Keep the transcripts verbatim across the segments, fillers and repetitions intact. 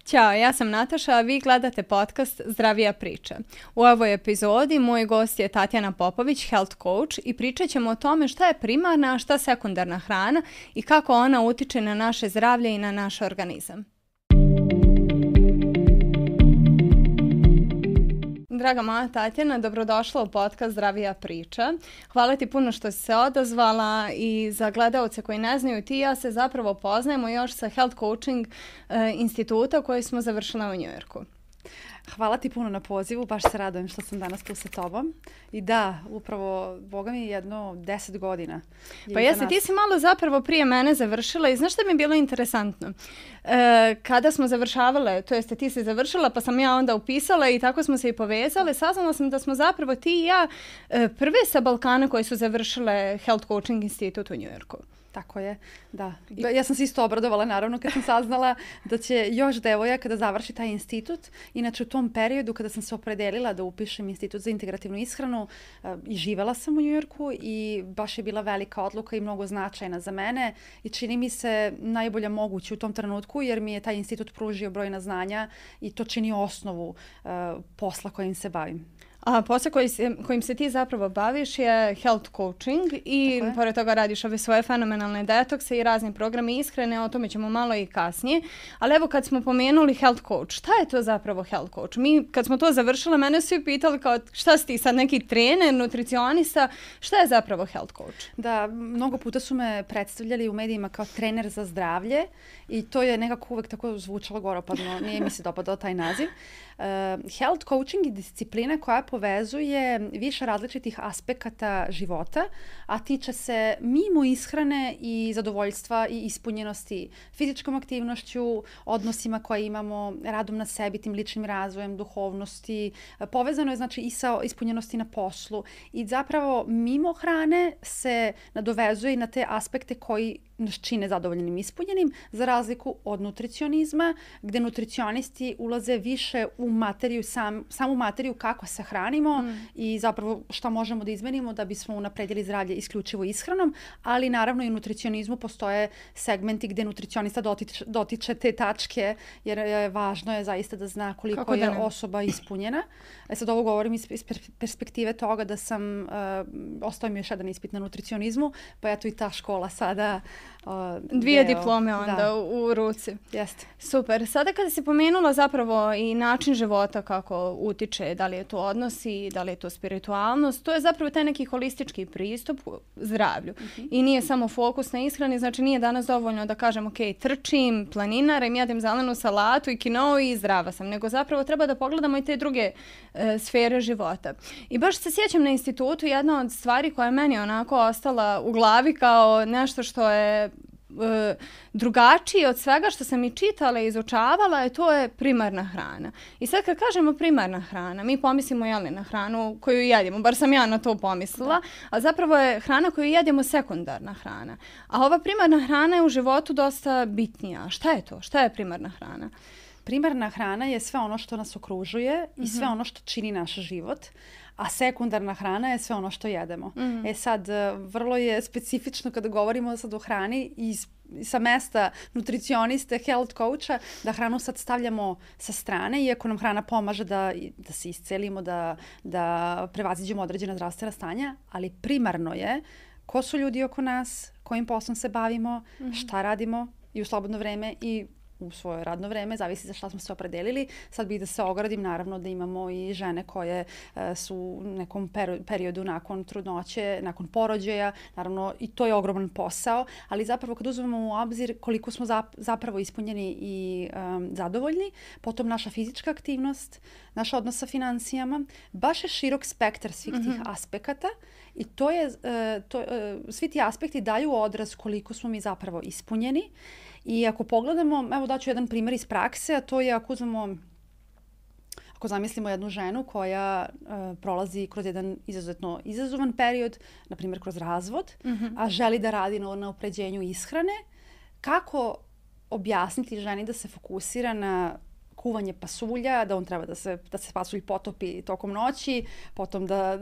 Ćao, ja sam Nataša, a vi gledate podcast Zdravija priča. U ovoj epizodi moj gost je Tatjana Popović, health coach, i pričat ćemo o tome šta je primarna, a šta sekundarna hrana i kako ona utiče na naše zdravlje i na naš organizam. Draga moja Tatjana, dobrodošla u podcast Zdravija priča. Hvala ti puno što si se odazvala i za gledaoce koji ne znaju, ti i ja se zapravo poznajemo još sa Health Coaching uh, instituta koji smo završila u Njujorku. Hvala ti puno na pozivu, baš se radujem što sam danas tu sa tobom. I da, upravo, Boga mi jedno deset godina. Pa jesi, ti si malo zapravo prije mene završila i znaš što mi je bilo interesantno? E, kada smo završavale, to jeste ti si završila pa sam ja onda upisala i tako smo se i povezale, saznala sam da smo zapravo ti i ja e, prve sa Balkana koje su završile Health Coaching institut u Njujorku. Tako je, da. Ja sam se isto obradovala naravno kad sam saznala da će još devojaka da završi taj institut. Inače u tom periodu kada sam se opredelila da upišem institut za integrativnu ishranu i živela sam u Njujorku i baš je bila velika odluka i mnogo značajna za mene i čini mi se najbolja moguće u tom trenutku jer mi je taj institut pružio brojna znanja i to čini osnovu uh, posla kojim se bavim. A posao koji se, kojim se ti zapravo baviš je health coaching i pored toga radiš ove svoje fenomenalne detokse i razni programi ishrane, o tome ćemo malo i kasnije. Ali evo kad smo pomenuli health coach, šta je to zapravo health coach? Mi kad smo to završile, mene su pitali kao šta si ti sad neki trener, nutricionista, šta je zapravo health coach? Da, mnogo puta su me predstavljali u medijima kao trener za zdravlje i to je nekako uvek tako zvučalo goropadno, nije mi se dopadao taj naziv. Uh, health coaching je disciplina koja povezuje više različitih aspekata života, a tiče se mimo ishrane i zadovoljstva i ispunjenosti fizičkom aktivnošću, odnosima koje imamo, radom na sebi, tim ličnim razvojem, duhovnosti. Povezano je znači i sa ispunjenosti na poslu i zapravo mimo hrane se nadovezuje i na te aspekte koji nas čine zadovoljnim i ispunjenim, za razliku od nutricionizma, gde nutricionisti ulaze više u materiju, sam, samu materiju kako se hranimo mm. i zapravo šta možemo da izmenimo da bismo unapredili zdravlje isključivo ishranom, ali naravno i u nutricionizmu postoje segmenti gde nutricionista dotiče, dotiče te tačke, jer je važno je zaista da zna koliko kako je osoba ispunjena. E sad ovo govorim iz, iz perspektive toga da sam, uh, ostao mi još jedan ispit na nutricionizmu, pa eto i ta škola sada Uh, Dvije deo, diplome onda da. u, u ruci. Jeste. Super. Sada kada si pomenula zapravo i način života kako utiče, da li je to odnosi, da li je to spiritualnost, to je zapravo taj neki holistički pristup zdravlju. Uh-huh. I nije samo fokus na ishrani, znači nije danas dovoljno da kažem ok, trčim, planinarem, jedem zelenu salatu i kinou i zdrava sam, nego zapravo treba da pogledamo i te druge e, sfere života. I baš se sjećam na institutu, jedna od stvari koja je meni onako ostala u glavi kao nešto što je E, drugačije od svega što sam i čitala i izučavala, je to je primarna hrana. I sad kad kažemo primarna hrana, mi pomislimo jeli, na hranu koju jedemo, bar sam ja na to pomislila, da. A zapravo je hrana koju jedemo sekundarna hrana. A ova primarna hrana je u životu dosta bitnija. Šta je to? Šta je primarna hrana? Primarna hrana je sve ono što nas okružuje mm-hmm. i sve ono što čini naš život. A sekundarna hrana je sve ono što jedemo. Mm. E sad, vrlo je specifično kada govorimo sad o hrani i sa mesta nutricioniste, health coacha, da hranu sad stavljamo sa strane, iako nam hrana pomaže da, da se iscelimo, da, da prevaziđemo određena zdravstvena stanja, ali primarno je ko su ljudi oko nas, kojim poslom se bavimo, mm. šta radimo i u slobodno vreme i u svoje radno vreme, zavisi za šta smo se opredelili. Sad bih da se ogradim, naravno da imamo i žene koje uh, su u nekom peru, periodu nakon trudnoće, nakon porođaja, naravno i to je ogroman posao, ali zapravo kad uzmemo u obzir koliko smo zap, zapravo ispunjeni i um, zadovoljni, potom naša fizička aktivnost, naš odnos sa financijama, baš je širok spektar svih mm-hmm. tih aspekata i to je, uh, to, uh, svi ti aspekti daju odraz koliko smo mi zapravo ispunjeni. I ako pogledamo, evo daću jedan primjer iz prakse, a to je ako uzmemo, ako zamislimo jednu ženu koja uh, prolazi kroz jedan izuzetno izazovan period, na primjer kroz razvod, mm-hmm. a želi da radi na unapređenju ishrane, kako objasniti ženi da se fokusira na kuvanje pasulja, da on treba da se, da se pasulj potopi tokom noći, potom da,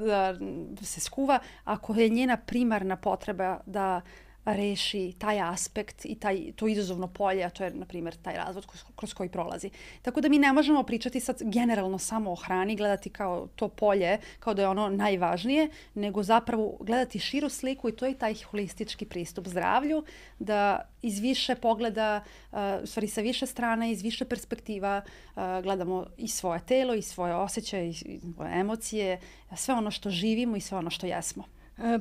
da se skuva, ako je njena primarna potreba da reši taj aspekt i taj, to izazovno polje, a to je, na primjer, taj razvod kroz, kroz koji prolazi. Tako da mi ne možemo pričati sad generalno samo o hrani, gledati kao to polje, kao da je ono najvažnije, nego zapravo gledati širu sliku i to je taj holistički pristup zdravlju, da iz više pogleda, uh, u stvari sa više strana, iz više perspektiva uh, gledamo i svoje telo, i svoje osjećaje, i svoje emocije, sve ono što živimo i sve ono što jesmo.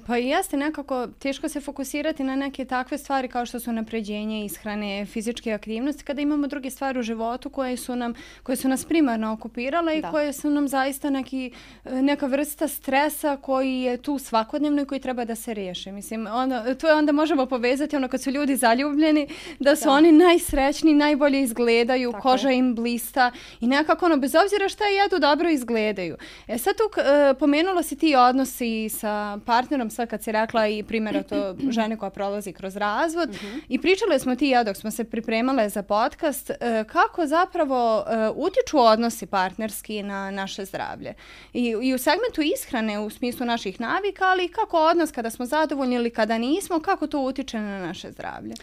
Pa i jeste nekako teško se fokusirati na neke takve stvari kao što su napređenje ishrane, fizičke aktivnosti, kada imamo druge stvari u životu koje su nam, koje su nas primarno okupirale i da. koje su nam zaista neki, neka vrsta stresa koji je tu svakodnevno i koji treba da se riješi. Mislim, onda, to je onda možemo povezati ono kad su ljudi zaljubljeni, da su da. oni najsrećniji, najbolje izgledaju, tako koža je. im blista i nekako ono, bez obzira šta jedu, dobro izgledaju. E sad tu uh, pomenulo si ti odnosi sa partnerom, sad kad si rekla i primjera to žene koja prolazi kroz razvod uh-huh. i pričale smo ti i ja dok smo se pripremale za podcast kako zapravo utiču odnosi partnerski na naše zdravlje. I, i u segmentu ishrane u smislu naših navika, ali i kako odnos kada smo zadovoljni ili kada nismo, kako to utiče na naše zdravlje.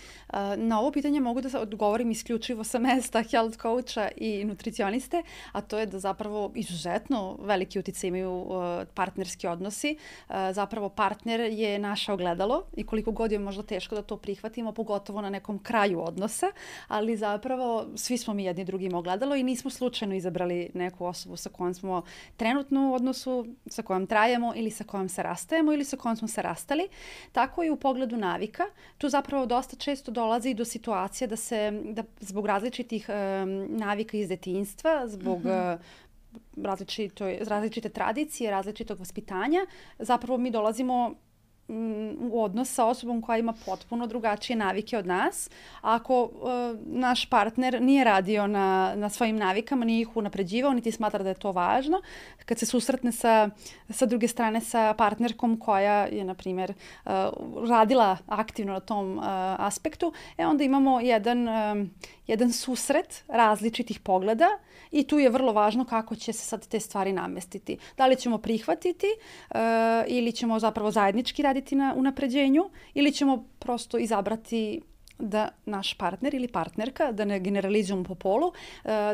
Na ovo pitanje mogu da odgovorim isključivo sa mesta health coacha i nutricioniste, a to je da zapravo izuzetno veliki utjecaj imaju partnerski odnosi. Zapravo partner je naše ogledalo i koliko god je možda teško da to prihvatimo, pogotovo na nekom kraju odnosa, ali zapravo svi smo mi jedni drugim ogledalo i nismo slučajno izabrali neku osobu sa kojom smo trenutno u odnosu, sa kojom trajemo ili sa kojom se rastajemo ili sa kojom smo se rastali. Tako i u pogledu navika. Tu zapravo dosta često dolazi do situacije da se da zbog različitih um, navika iz detinjstva, zbog mm-hmm. različito, različite tradicije, različitog vaspitanja, zapravo mi dolazimo u odnos sa osobom koja ima potpuno drugačije navike od nas. Ako uh, naš partner nije radio na, na svojim navikama, nije ih unapređivao, niti smatra da je to važno, kad se susretne sa, sa druge strane sa partnerkom koja je, na primjer, uh, radila aktivno na tom uh, aspektu, e onda imamo jedan, um, jedan susret različitih pogleda i tu je vrlo važno kako će se sad te stvari namestiti. Da li ćemo prihvatiti uh, ili ćemo zapravo zajednički raditi na unapređenju ili ćemo prosto izabrati da naš partner ili partnerka, da ne generalizujemo po polu,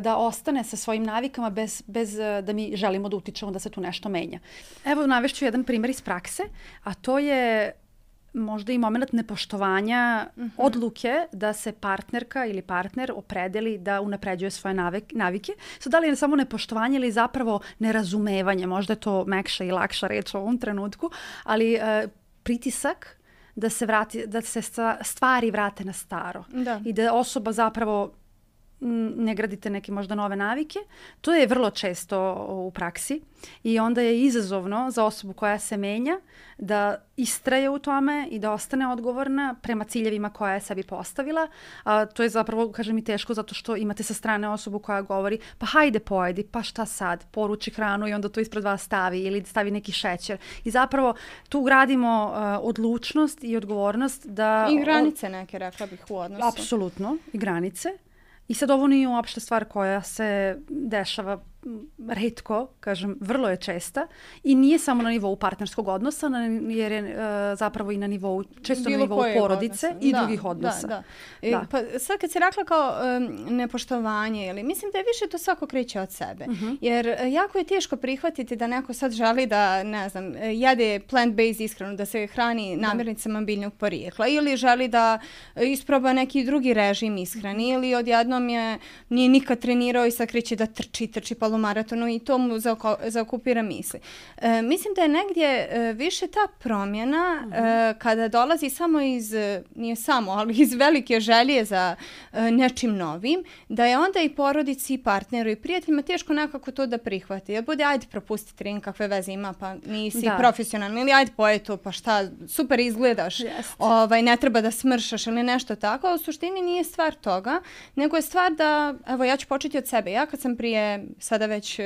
da ostane sa svojim navikama bez, bez da mi želimo da utičemo da se tu nešto menja. Evo navešću jedan primjer iz prakse, a to je možda i moment nepoštovanja uh-huh. odluke da se partnerka ili partner opredeli da unapređuje svoje navike. So, da li je samo nepoštovanje ili zapravo nerazumevanje, možda je to mekša i lakša reč u ovom trenutku, ali uh, pritisak da se, vrati, da se stvari vrate na staro. Da. I da osoba zapravo ne gradite neke možda nove navike. To je vrlo često u praksi i onda je izazovno za osobu koja se menja da istraje u tome i da ostane odgovorna prema ciljevima koja je sebi postavila. A to je zapravo, kažem, i teško zato što imate sa strane osobu koja govori pa hajde pojedi, pa šta sad, poruči hranu i onda to ispred vas stavi ili stavi neki šećer. I zapravo tu gradimo uh, odlučnost i odgovornost da... I granice neke, rekla bih, u odnosu. Apsolutno, i granice. I sad ovo nije uopšte stvar koja se dešava retko, kažem, vrlo je česta i nije samo na nivou partnerskog odnosa, jer je uh, zapravo i na nivou, često bilo na nivou porodice odnosa. I da, drugih odnosa. Da, da. Da. Pa sad kad si rekla kao um, nepoštovanje, ili, mislim da je više to svako kreće od sebe. Uh-huh. Jer jako je teško prihvatiti da neko sad želi da, ne znam, jede plant-based ishranu, da se hrani namirnicama biljnog porijekla ili želi da isproba neki drugi režim ishrani ili odjednom je nije nikad trenirao i sad kreće da trči, trči pa maratonu i to mu zaokupira misli. E, mislim da je negdje e, više ta promjena uh-huh. e, kada dolazi samo iz, nije samo, ali iz velike želje za e, nečim novim, da je onda i porodici, i partneru, i prijateljima teško nekako to da prihvati. Ja bude, ajde propusti trening, kakve veze ima, pa nisi da. profesionalni, ili ajde poje to, pa šta, super izgledaš, ovaj, ne treba da smršaš ili nešto tako, a u suštini nije stvar toga, nego je stvar da, evo ja ću početi od sebe. Ja kad sam prije sada već,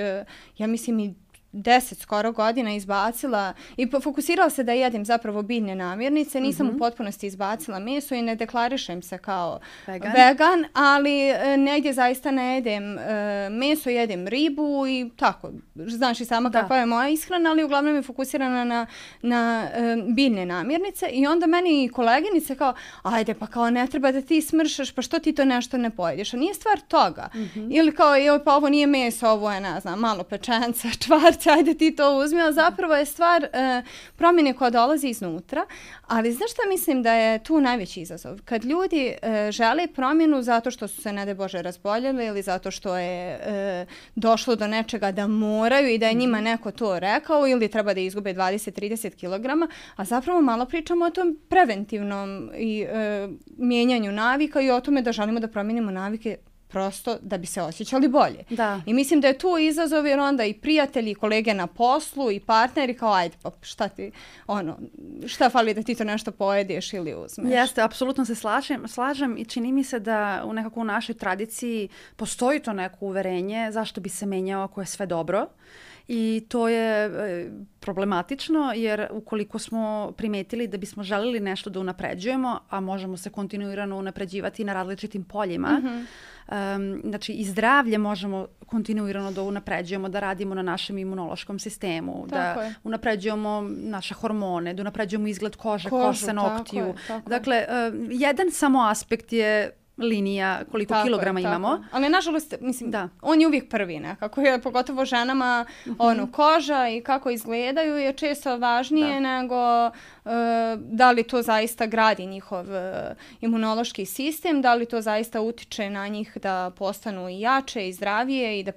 ja mislim i deset skoro godina izbacila i fokusirala se da jedem zapravo biljne namirnice. Nisam mm-hmm. u potpunosti izbacila meso i ne deklarišem se kao vegan, vegan ali e, negdje zaista ne jedem e, meso, jedem ribu i tako. Znaš i sama da. kakva je moja ishrana, ali uglavnom je fokusirana na, na e, biljne namirnice i onda meni koleginice kao, ajde pa kao ne treba da ti smršaš, pa što ti to nešto ne pojedeš? A nije stvar toga. Mm-hmm. Ili kao, joj pa ovo nije meso, ovo je, ne znam, malo pečenca, čvarca, ajde ti to uzmi, ali zapravo je stvar e, promjene koja dolazi iznutra, ali znaš šta mislim da je tu najveći izazov? Kad ljudi e, žele promjenu zato što su se, ne daj Bože, razboljeli ili zato što je e, došlo do nečega da moraju i da je njima neko to rekao ili treba da izgube dvadeset do trideset kilograma, a zapravo malo pričamo o tom preventivnom i e, mijenjanju navika i o tome da želimo da promijenimo navike prosto da bi se osjećali bolje. Da. I mislim da je tu izazov jer onda i prijatelji, i kolege na poslu i partneri kao ajde pa šta ti, ono, šta fali da ti to nešto pojedeš ili uzmeš. Jeste, apsolutno se slažem, slažem i čini mi se da u nekako u našoj tradiciji postoji to neko uverenje zašto bi se menjao ako je sve dobro. I to je e, problematično jer ukoliko smo primetili da bismo želeli nešto da unapređujemo, a možemo se kontinuirano unapređivati na različitim poljima, mm-hmm. um, znači i zdravlje možemo kontinuirano da unapređujemo, da radimo na našem imunološkom sistemu, tako da je. unapređujemo naše hormone, da unapređujemo izgled kože, Kožu, kose, noktiju. Tako je, tako dakle, um, jedan samo aspekt je linija koliko tako kilograma je, imamo. Je. Ali nažalost, mislim, da. on je uvijek prvi nekako. Je, pogotovo ženama, mm-hmm. ono, koža i kako izgledaju je često važnije da. nego uh, da li to zaista gradi njihov uh, imunološki sistem, da li to zaista utiče na njih da postanu i jače i zdravije i da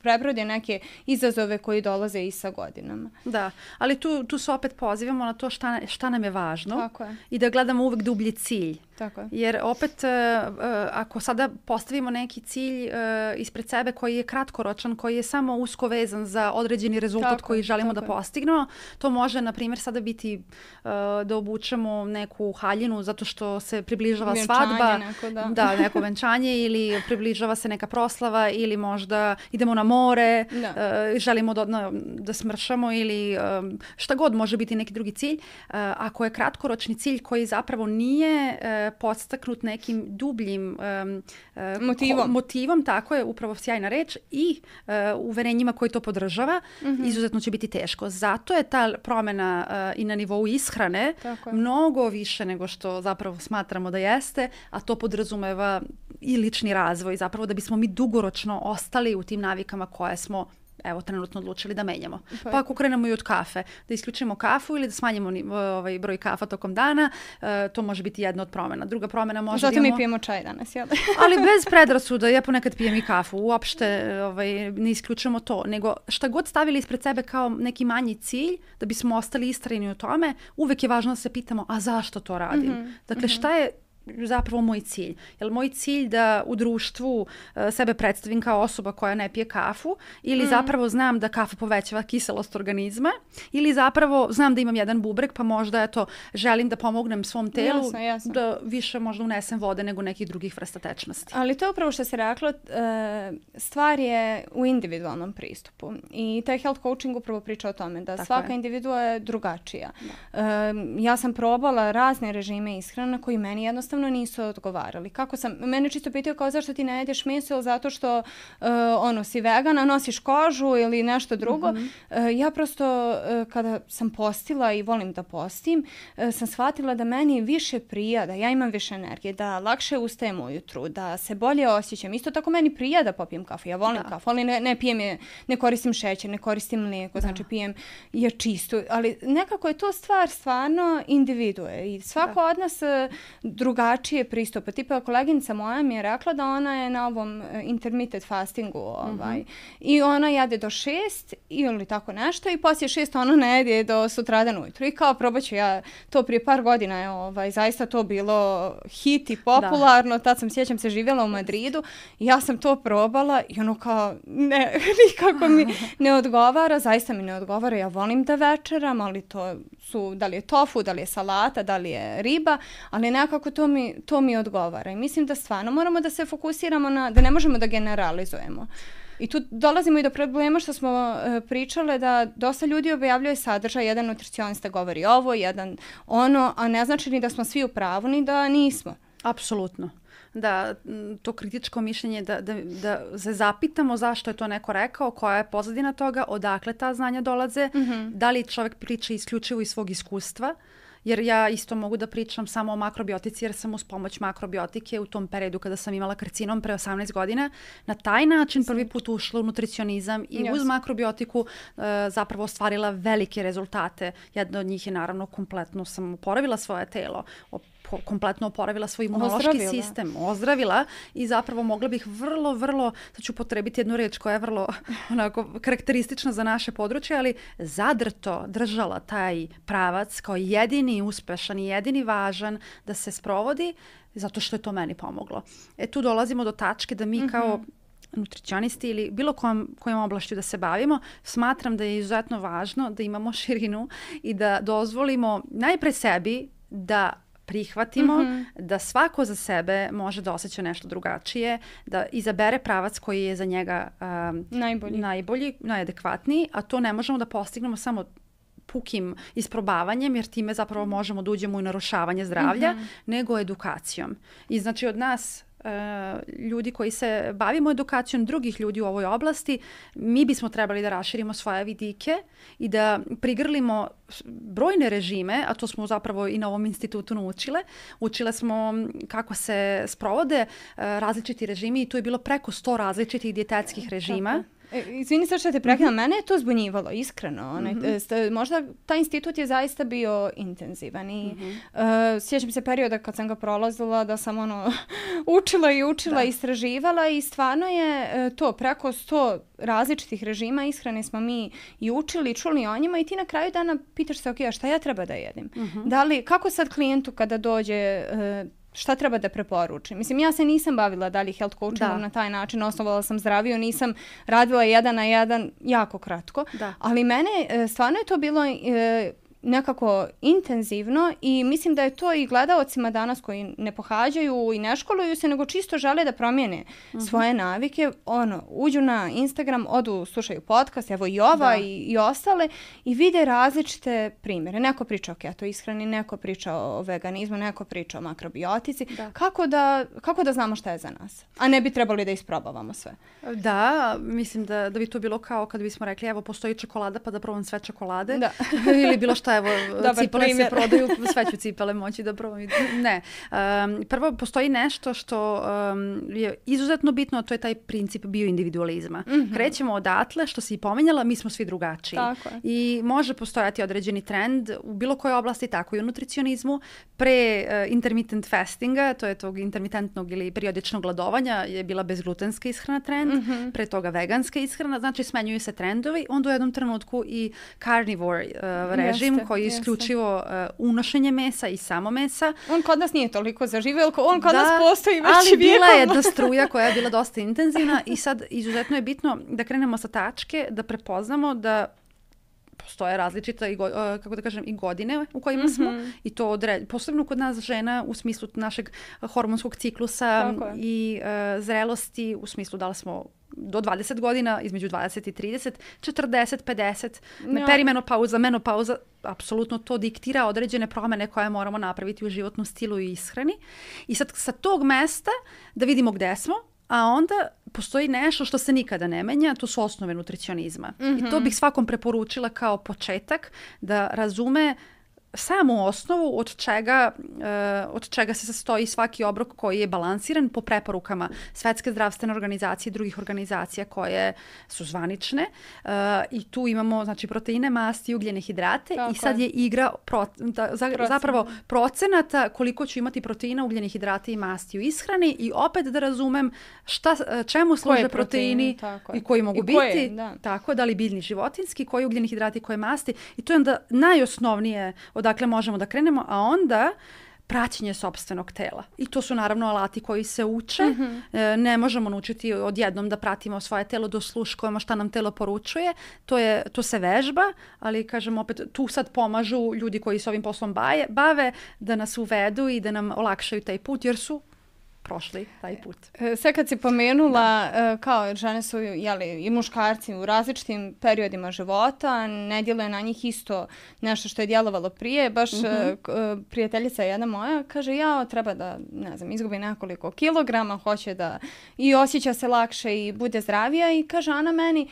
prebrode neke izazove koji dolaze i sa godinama. Da, ali tu, tu se opet pozivamo na to šta, šta nam je važno tako je. I da gledamo uvijek dublji cilj. Tako je. Jer opet uh, uh, ako sada postavimo neki cilj uh, ispred sebe koji je kratkoročan, koji je samo usko vezan za određeni rezultat tako, koji želimo da je. postignemo, to može na primjer sada biti uh, da obučemo neku haljinu zato što se približava venčanje, svadba, neko, da. da, neko venčanje ili približava se neka proslava ili možda idemo na more, uh, želimo da, na, da smršamo ili um, šta god može biti neki drugi cilj. Uh, ako je kratkoročni cilj koji zapravo nije uh, podstaknut nekim dubljim um, uh, motivom. Ko, motivom, tako je, upravo sjajna reč, i uh, uverenjima koji to podržava, mm-hmm. izuzetno će biti teško. Zato je ta promjena uh, i na nivou ishrane mnogo više nego što zapravo smatramo da jeste, a to podrazumeva i lični razvoj, zapravo da bismo mi dugoročno ostali u tim navikama koje smo evo trenutno odlučili da menjamo. Pa, pa ako krenemo i od kafe, da isključimo kafu ili da smanjimo ovaj broj kafa tokom dana, uh, to može biti jedna od promjena. Druga promjena može Zato da imamo... mi pijemo čaj danas, jel? Ali bez predrasuda, ja ponekad pijem i kafu. Uopšte ovaj, ne isključujemo to, nego šta god stavili ispred sebe kao neki manji cilj, da bismo ostali istrajni u tome, uvek je važno da se pitamo, a zašto to radim? Mm-hmm. Dakle, šta je zapravo moj cilj? Je li moj cilj da u društvu uh, sebe predstavim kao osoba koja ne pije kafu ili mm. zapravo znam da kafa povećava kiselost organizma ili zapravo znam da imam jedan bubreg pa možda eto, želim da pomognem svom telu jasno, jasno. da više možda unesem vode nego nekih drugih vrsta tečnosti. Ali to je upravo što se reklo, uh, stvar je u individualnom pristupu i taj health coaching upravo priča o tome da Tako svaka je. individua je drugačija. Uh, ja sam probala razne režime ishrane koji meni jednostavno nisu odgovarali. Kako sam, mene čisto pitao kao zašto ti ne jedeš meso ili zato što uh, ono, si vegana, nosiš kožu ili nešto drugo. Mm-hmm. Uh, ja prosto uh, kada sam postila i volim da postim, uh, sam shvatila da meni više prija, da ja imam više energije, da lakše ustajem ujutru, da se bolje osjećam. Isto tako meni prija da popijem kafu. Ja volim da. kafu, ali ne, ne pijem je, ne koristim šećer, ne koristim mlijeko, da. znači pijem je čistu. Ali nekako je to stvar stvarno individue i svako da. od nas uh, drugačije pristupa. Tipa koleginica moja mi je rekla da ona je na ovom uh, intermittent fastingu ovaj, mm-hmm. i ona jede do šest ili tako nešto i poslije šest ona ne jede do sutradan ujutru. I kao probat ću ja to prije par godina je ovaj, zaista to bilo hit i popularno. Da. Tad sam, sjećam se, živjela u Madridu i ja sam to probala i ono kao ne, nikako mi ne odgovara. Zaista mi ne odgovara. Ja volim da večeram, ali to su, da li je tofu, da li je salata, da li je riba, ali nekako to mi, to mi odgovara. I mislim da stvarno moramo da se fokusiramo na, da ne možemo da generalizujemo. I tu dolazimo i do problema što smo uh, pričale da dosta ljudi objavljuje sadržaj, jedan nutricionista govori ovo, jedan ono, a ne znači ni da smo svi u pravu, ni da nismo. Apsolutno. Da, to kritičko mišljenje, da, da, da se zapitamo zašto je to neko rekao, koja je pozadina toga, odakle ta znanja dolaze, mm-hmm. da li čovjek priča isključivo iz svog iskustva, jer ja isto mogu da pričam samo o makrobiotici jer sam uz pomoć makrobiotike u tom periodu kada sam imala karcinom pre osamnaest godina na taj način prvi put ušla u nutricionizam i yes. uz makrobiotiku uh, zapravo ostvarila velike rezultate. Jedna od njih je naravno kompletno sam oporavila svoje telo, kompletno oporavila svoj imunološki ozdravila. sistem, ozdravila i zapravo mogla bih vrlo, vrlo, sad ću potrebiti jednu reč koja je vrlo onako karakteristična za naše područje, ali zadrto držala taj pravac kao jedini uspešan i jedini važan da se sprovodi zato što je to meni pomoglo. E tu dolazimo do tačke da mi mm-hmm. kao nutricionisti ili bilo kojom, kojom oblašću da se bavimo, smatram da je izuzetno važno da imamo širinu i da dozvolimo najpre sebi da prihvatimo mm-hmm. da svako za sebe može da osjeća nešto drugačije, da izabere pravac koji je za njega um, najbolji. najbolji, najadekvatniji, a to ne možemo da postignemo samo pukim isprobavanjem, jer time zapravo možemo da uđemo u narušavanje zdravlja, mm-hmm. nego edukacijom. I znači od nas Uh, ljudi koji se bavimo edukacijom drugih ljudi u ovoj oblasti, mi bismo trebali da raširimo svoje vidike i da prigrlimo brojne režime, a to smo zapravo i na ovom institutu naučile. Učile smo kako se sprovode uh, različiti režimi i tu je bilo preko sto različitih dijetetskih režima. Tako. Izvini sad što te prekidam, mm-hmm. mene je to zbunjivalo, iskreno. Onaj, mm-hmm. st- možda taj institut je zaista bio intenzivan i mm-hmm. uh, sjećam se perioda kad sam ga prolazila da sam ono učila i učila, da. istraživala i stvarno je uh, to preko sto različitih režima ishrane smo mi i učili i čuli o njima i ti na kraju dana pitaš se, ok, a šta ja treba da jedim? Mm-hmm. Da li, kako sad klijentu kada dođe uh, šta treba da preporučim? Mislim, ja se nisam bavila dalje health coachingom na taj način, osnovala sam zdraviju, nisam radila jedan na jedan jako kratko, da. ali mene stvarno je to bilo e, nekako intenzivno i mislim da je to i gledaocima danas koji ne pohađaju i ne školuju se, nego čisto žele da promijene mm-hmm. svoje navike, ono, uđu na Instagram, odu, slušaju podcast, evo i ova i, i ostale i vide različite primjere. Neko priča o keto ishrani, neko priča o veganizmu, neko priča o makrobiotici. Da. Kako da, kako da znamo šta je za nas? A ne bi trebali da isprobavamo sve. Da, mislim da, da bi to bilo kao kad bismo rekli, evo, postoji čokolada pa da probam sve čokolade. Da. Ili bilo šta, evo, dobar cipele primjer. Se prodaju, sve ću cipele moći da probam. Ne. Um, prvo, postoji nešto što um, je izuzetno bitno, a to je taj princip bioindividualizma. Mm-hmm. Krećemo odatle, što si i pomenjala, mi smo svi drugačiji. Tako je. I može postojati određeni trend u bilo kojoj oblasti, tako i u nutricionizmu. Pre uh, intermittent fastinga, to je tog intermitentnog ili periodičnog gladovanja, je bila bezglutenska ishrana trend, mm-hmm. pre toga veganska ishrana, znači smenjuju se trendovi, onda u jednom trenutku i carnivore uh, režim, jeste, koji je isključivo uh, unošenje mesa i samo mesa. On kod nas nije toliko zaživio, on kod da, nas postoji već ali vijekom. Bila je jedna struja koja je bila dosta intenzivna i sad izuzetno je bitno da krenemo sa tačke, da prepoznamo da postoje različite i, go, uh, kako da kažem, i godine u kojima mm-hmm. smo i to odre, posebno kod nas žena u smislu našeg hormonskog ciklusa i uh, zrelosti, u smislu da li smo do dvadeset godina, između dvadeset i trideset, četrdeset, pedeset, no. perimenopauza, menopauza, apsolutno to diktira određene promjene koje moramo napraviti u životnom stilu i ishrani. I sad sa tog mesta da vidimo gde smo, a onda postoji nešto što se nikada ne menja, to su osnove nutricionizma. Mm-hmm. I to bih svakom preporučila kao početak da razume samu osnovu od čega, uh, od čega se sastoji svaki obrok koji je balansiran po preporukama Svetske zdravstvene organizacije i drugih organizacija koje su zvanične. Uh, I tu imamo znači, proteine, masti, ugljene hidrate. Tako I sad je igra pro, da, za, zapravo procenata koliko ću imati proteina, ugljene hidrate i masti u ishrani i opet da razumem šta, čemu služe proteini, proteini i koji mogu I biti. Koje, da. Tako, da li biljni, životinski, koji ugljeni hidrati, koje masti. I to je onda najosnovnije odakle možemo da krenemo, a onda praćenje sopstvenog tela. I to su naravno alati koji se uče. Mm-hmm. E, ne možemo naučiti odjednom da pratimo svoje telo, da osluškujemo šta nam telo poručuje. To, je, to se vežba, ali kažem opet, tu sad pomažu ljudi koji se ovim poslom baje, bave da nas uvedu i da nam olakšaju taj put, jer su prošli taj put. Sve kad si pomenula, da. kao žene su jeli, i muškarci u različitim periodima života, ne djeluje na njih isto nešto što je djelovalo prije. Baš mm-hmm. prijateljica jedna moja kaže ja treba da, ne znam, izgubi nekoliko kilograma, hoće da i osjeća se lakše i bude zdravija i kaže Ana meni,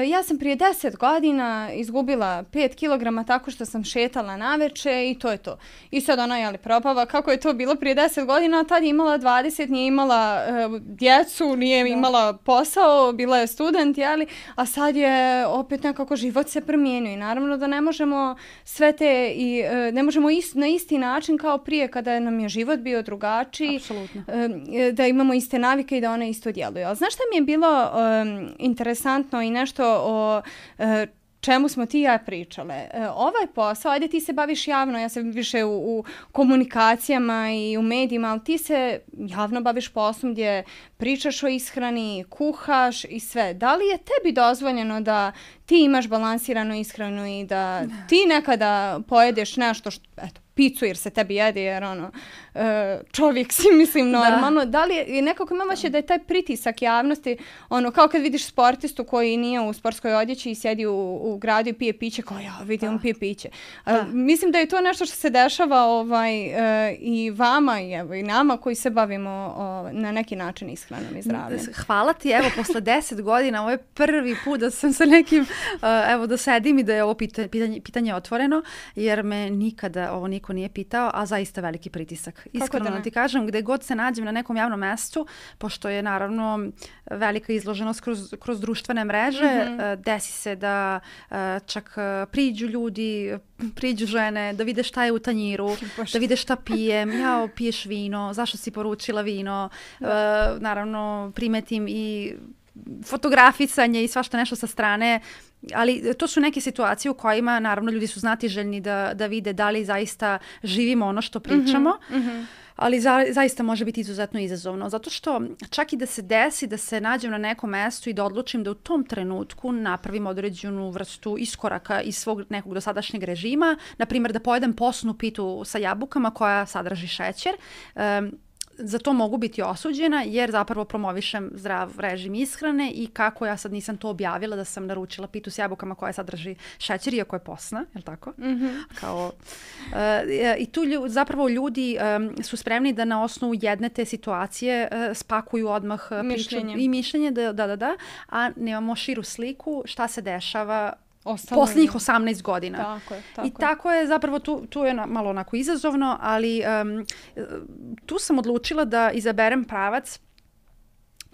ja sam prije deset godina izgubila pet kilograma tako što sam šetala naveče i to je to. I sad ona jeli propava kako je to bilo prije deset godina, a tad je imala dvadeset, nije imala uh, djecu, nije da. imala posao, bila je student, jeli, a sad je opet nekako život se promijenio i naravno da ne možemo sve te i uh, ne možemo ist, na isti način kao prije kada nam je život bio drugačiji, uh, da imamo iste navike i da one isto djeluju. Ali znaš šta mi je bilo um, interesantno i nešto o uh, čemu smo ti i ja pričale. E, ovaj posao, ajde ti se baviš javno, ja sam više u, u komunikacijama i u medijima, ali ti se javno baviš poslom gdje pričaš o ishrani, kuhaš i sve. Da li je tebi dozvoljeno da ti imaš balansiranu ishranu i da ti nekada pojedeš nešto što, eto, picu jer se tebi jede jer ono, čovjek si mislim normalno. Da, da li je, nekako imam vaše da je taj pritisak javnosti, ono kao kad vidiš sportistu koji nije u sportskoj odjeći i sjedi u, u gradu i pije piće, kao ja vidim on pije piće. Da. Mislim da je to nešto što se dešava ovaj, i vama i, evo, i nama koji se bavimo o, na neki način ishranom i zdravljem. Hvala ti, evo posle deset godina, ovo je prvi put da sam sa nekim, evo da sedim i da je ovo pitanje, pitanje, pitanje otvoreno, jer me nikada ovo niko nije pitao, a zaista veliki pritisak. Iskreno da ti kažem, gde god se nađem na nekom javnom mestu, pošto je naravno velika izloženost kroz, kroz društvene mreže, mm-hmm. desi se da čak priđu ljudi, priđu žene, da vide šta je u tanjiru, da vide šta pijem, jao, piješ vino, zašto si poručila vino, da. Naravno primetim i fotografisanje i svašta nešto sa strane, ali to su neke situacije u kojima naravno ljudi su znatiželjni da, da vide da li zaista živimo ono što pričamo, mm-hmm. ali za, zaista može biti izuzetno izazovno, zato što čak i da se desi da se nađem na nekom mestu i da odlučim da u tom trenutku napravim određenu vrstu iskoraka iz svog nekog dosadašnjeg režima, na primjer da pojedem posnu pitu sa jabukama koja sadrži šećer, um, za to mogu biti osuđena jer zapravo promovišem zdrav režim ishrane i kako ja sad nisam to objavila da sam naručila pitu s jabukama koja sadrži šećer iako je posna, je li tako? Mm-hmm. Kao, uh, i tu lju, zapravo ljudi um, su spremni da na osnovu jedne te situacije uh, spakuju odmah mišljenje. Priču i mišljenje, da, da, da, da, a nemamo širu sliku šta se dešava posljednjih osamnaest godina. Tako je, tako I tako je zapravo, tu, tu je malo onako izazovno, ali um, tu sam odlučila da izaberem pravac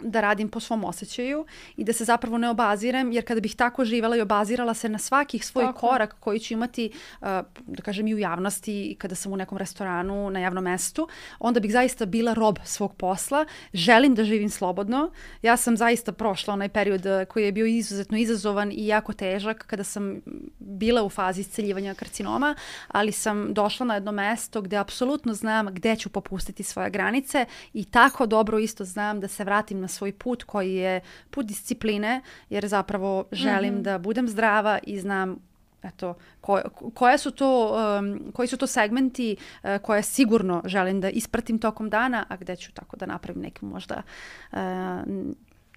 da radim po svom osjećaju i da se zapravo ne obazirem, jer kada bih tako živjela i obazirala se na svakih svoj tako. korak koji ću imati, uh, da kažem i u javnosti i kada sam u nekom restoranu, na javnom mestu, onda bih zaista bila rob svog posla. Želim da živim slobodno. Ja sam zaista prošla onaj period koji je bio izuzetno izazovan i jako težak kada sam bila u fazi isceljivanja karcinoma, ali sam došla na jedno mesto gde apsolutno znam gde ću popustiti svoje granice i tako dobro isto znam da se vratim na svoj put koji je put discipline, jer zapravo želim mm-hmm. da budem zdrava i znam eto, ko, koje su to, um, koji su to segmenti uh, koje sigurno želim da ispratim tokom dana, a gde ću tako da napravim neku možda uh,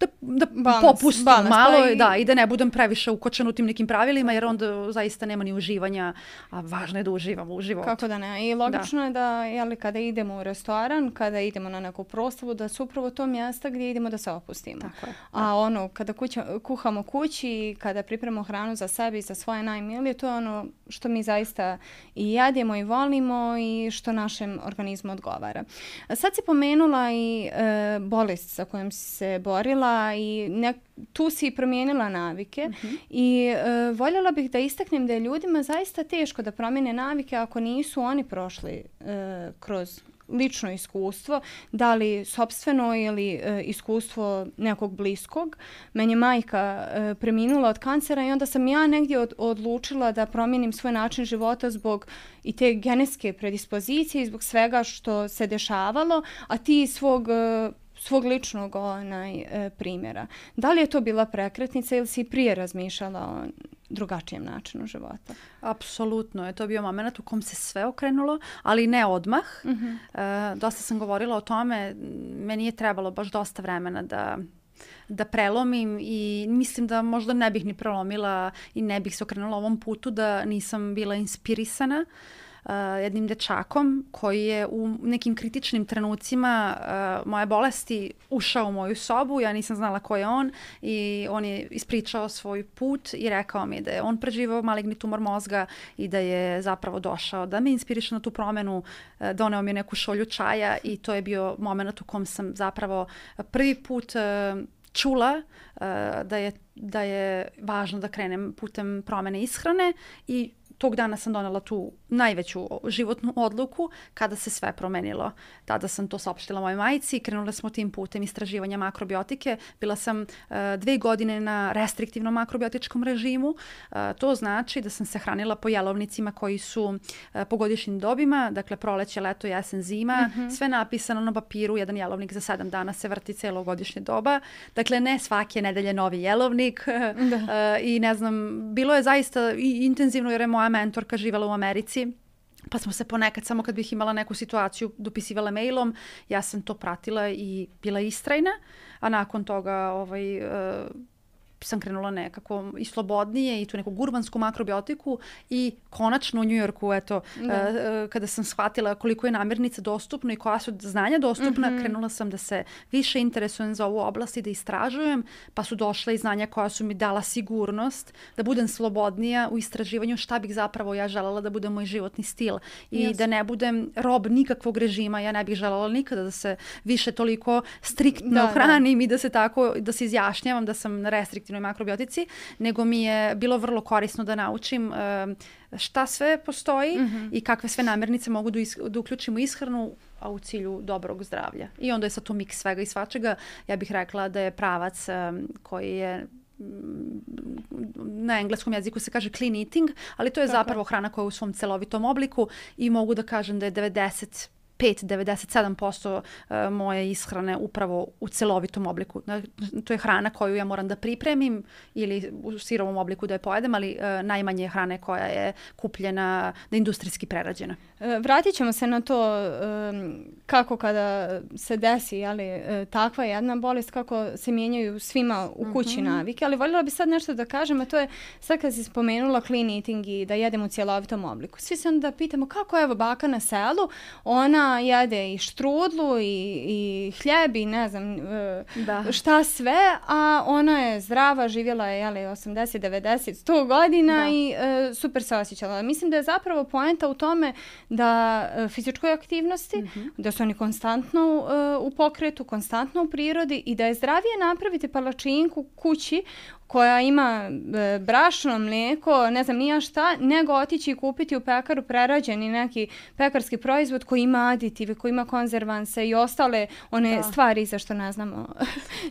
da, da balans, popustim balans, malo pa i... Da, i da ne budem previše ukočen u tim nekim pravilima, jer onda zaista nema ni uživanja, a važno je da uživamo u životu. Kako da ne? I logično da. je da jeli, kada idemo u restoran, kada idemo na neku proslavu, da su upravo to mjesta gdje idemo da se opustimo. Tako je. A ono, kada kuća, kuhamo kući, kada pripremamo hranu za sebe i za svoje najmilije, to je ono što mi zaista i jedemo i volimo i što našem organizmu odgovara. Sad si pomenula i e, bolest sa kojom si se borila i nek, tu si promijenila navike mm-hmm. i e, voljela bih da istaknem da je ljudima zaista teško da promijene navike ako nisu oni prošli e, kroz lično iskustvo, da li sopstveno ili e, iskustvo nekog bliskog. Meni je majka e, preminula od kancera i onda sam ja negdje od, odlučila da promijenim svoj način života zbog i te genetske predispozicije i zbog svega što se dešavalo, a ti svog e, svog ličnog onaj, e, primjera. Da li je to bila prekretnica ili si prije razmišljala o drugačijem načinu života. Apsolutno je to bio moment u kom se sve okrenulo, ali ne odmah. Mm-hmm. E, dosta sam govorila o tome, meni je trebalo baš dosta vremena da da prelomim i mislim da možda ne bih ni prelomila i ne bih se okrenula ovom putu da nisam bila inspirisana uh, jednim dečakom koji je u nekim kritičnim trenucima uh, moje bolesti ušao u moju sobu, ja nisam znala ko je on i on je ispričao svoj put i rekao mi da je on preživao maligni tumor mozga i da je zapravo došao da me inspiriše na tu promenu, uh, doneo mi je neku šolju čaja i to je bio moment u kom sam zapravo prvi put uh, čula uh, da je, da je važno da krenem putem promene ishrane i tog dana sam donela tu najveću životnu odluku kada se sve promenilo. Tada sam to saopštila mojoj majci i krenula smo tim putem istraživanja makrobiotike. Bila sam uh, dve godine na restriktivnom makrobiotičkom režimu. Uh, to znači da sam se hranila po jelovnicima koji su uh, po godišnjim dobima, dakle proleće, leto, jesen, zima. Mm-hmm. Sve napisano na papiru, jedan jelovnik za sedam dana se vrti celo godišnje doba. Dakle, ne svake nedelje novi jelovnik. uh, I ne znam, bilo je zaista i intenzivno jer je moja mentorka živjela u Americi. Pa smo se ponekad, samo kad bih imala neku situaciju, dopisivala mailom, ja sam to pratila i bila istrajna, a nakon toga ovaj, uh, sam krenula nekako i slobodnije i tu neku gurmansku makrobiotiku i konačno u Njujorku, eto, uh, kada sam shvatila koliko je namirnica dostupno i koja su znanja dostupna, mm-hmm. krenula sam da se više interesujem za ovu oblast i da istražujem, pa su došla i znanja koja su mi dala sigurnost da budem slobodnija u istraživanju šta bih zapravo ja želela da bude moj životni stil i yes. da ne budem rob nikakvog režima. Ja ne bih želela nikada da se više toliko striktno da, hranim da. i da se tako, da se izjašnjavam da sam na restriktivnoj makrobiotici, nego mi je bilo vrlo korisno da naučim uh, šta sve postoji mm-hmm. i kakve sve namirnice mogu da, is, da uključimo ishranu, a u cilju dobrog zdravlja. I onda je sad to miks svega i svačega. Ja bih rekla da je pravac um, koji je na engleskom jeziku se kaže clean eating, ali to je Tako. zapravo hrana koja je u svom celovitom obliku i mogu da kažem da je devedeset pet do devedeset sedam posto moje ishrane upravo u celovitom obliku. To je hrana koju ja moram da pripremim ili u sirovom obliku da je pojedem, ali uh, najmanje hrane koja je kupljena, da je industrijski prerađena. Vratit ćemo se na to um, kako kada se desi jeli, takva jedna bolest, kako se mijenjaju svima u kući mm-hmm. navike, ali voljela bi sad nešto da kažem, a to je sad kad si spomenula clean eating i da jedemo u cjelovitom obliku. Svi se onda pitamo kako evo baka na selu, ona jede i štrudlu i, i hljeb i ne znam da. šta sve, a ona je zdrava, živjela je jeli, osamdeset, devedeset, sto godina da. i uh, super se osjećala. Mislim da je zapravo poenta u tome da uh, fizičkoj aktivnosti, mm-hmm. da su oni konstantno uh, u pokretu, konstantno u prirodi i da je zdravije napraviti palačinku kući koja ima e, brašno, mlijeko, ne znam nija šta, nego otići i kupiti u pekaru prerađeni neki pekarski proizvod koji ima aditive, koji ima konzervanse i ostale one da. stvari za što ne znamo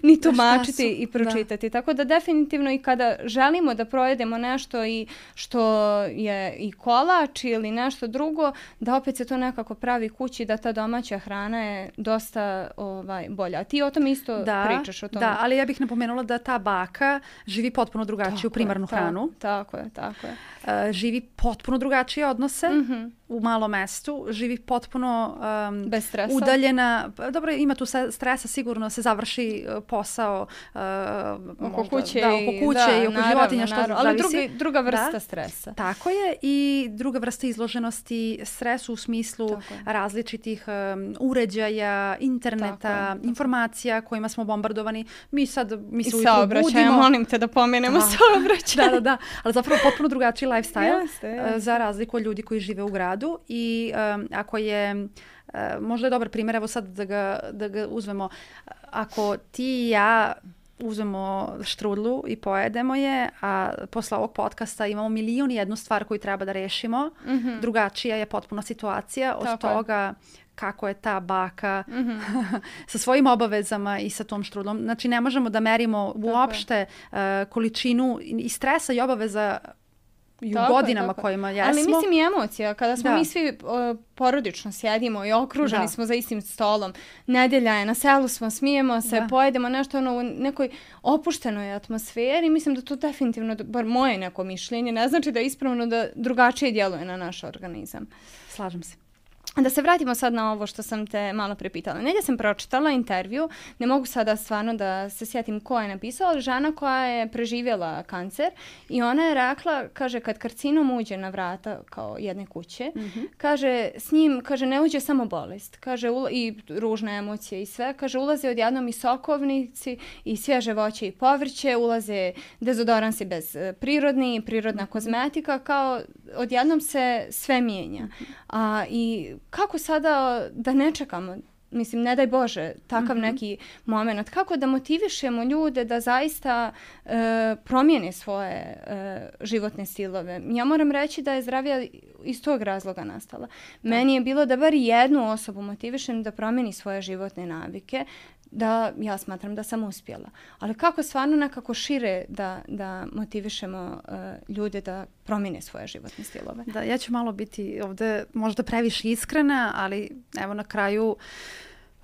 ni tumačiti i pročitati. Da. Tako da definitivno i kada želimo da projedemo nešto i što je i kolač ili nešto drugo, da opet se to nekako pravi kući, da ta domaća hrana je dosta ovaj, bolja. Ti o tom isto da, pričaš o tome. Da, ali ja bih napomenula da ta baka živi potpuno drugačiju primarnu je, hranu. Tako je, tako je. Uh, živi potpuno drugačije odnose mm-hmm. u malom mestu. Živi potpuno um, bez stresa. Udaljena. Dobro, ima tu stresa, sigurno se završi posao uh, oko možda, kuće, da, oko kuće da, i oko naravno, životinja. Što naravno. Ali drugi, druga vrsta da. stresa. Tako je. I druga vrsta izloženosti stresu u smislu različitih um, uređaja, interneta, informacija kojima smo bombardovani. Mi sad mi se ujutro budimo. Molim te da pomenemo saobraćaj. Da, da, da. Ali zapravo potpuno drugačiji lifestyle jeste, jeste. za razliku od ljudi koji žive u gradu i um, ako je, uh, možda je dobar primjer, evo sad da ga, da ga uzmemo, ako ti i ja uzmemo štrudlu i pojedemo je, a posle ovog podcasta imamo milion i jednu stvar koju treba da rešimo, mm-hmm. drugačija je potpuna situacija od Tako toga je. kako je ta baka mm-hmm. sa svojim obavezama i sa tom štrudlom. Znači ne možemo da merimo uopšte uh, količinu i stresa i obaveza i u tako godinama je, kojima jesmo. Ali mislim i emocija. Kada smo da. mi svi o, porodično sjedimo i okruženi da. smo za istim stolom. Nedelja je, na selu smo, smijemo se, da. pojedemo nešto ono, u nekoj opuštenoj atmosferi. Mislim da to definitivno, bar moje neko mišljenje, ne znači da je ispravno da drugačije djeluje na naš organizam. Slažem se. Da se vratimo sad na ovo što sam te malo prepitala. Negdje sam pročitala intervju, ne mogu sada stvarno da se sjetim ko je napisao, ali žena koja je preživjela kancer i ona je rekla, kaže, kad karcinom uđe na vrata kao jedne kuće, mm-hmm. kaže, s njim, kaže, ne uđe samo bolest, kaže, ula- i ružne emocije i sve, kaže, ulaze odjednom i sokovnici i svježe voće i povrće, ulaze dezodoransi bez prirodni, prirodna kozmetika, kao odjednom se sve mijenja. Mm-hmm. A, i kako sada da ne čekamo, mislim, ne daj Bože, takav mm-hmm. neki moment, kako da motivišemo ljude da zaista e, promijene svoje e, životne stilove. Ja moram reći da je zdravlja iz tog razloga nastala. Da. Meni je bilo da bar jednu osobu motivišem da promijeni svoje životne navike, da ja smatram da sam uspjela. Ali kako stvarno nekako šire da, da motivišemo uh, ljude da promijene svoje životne stilove? Da, ja ću malo biti ovdje možda previše iskrena, ali evo na kraju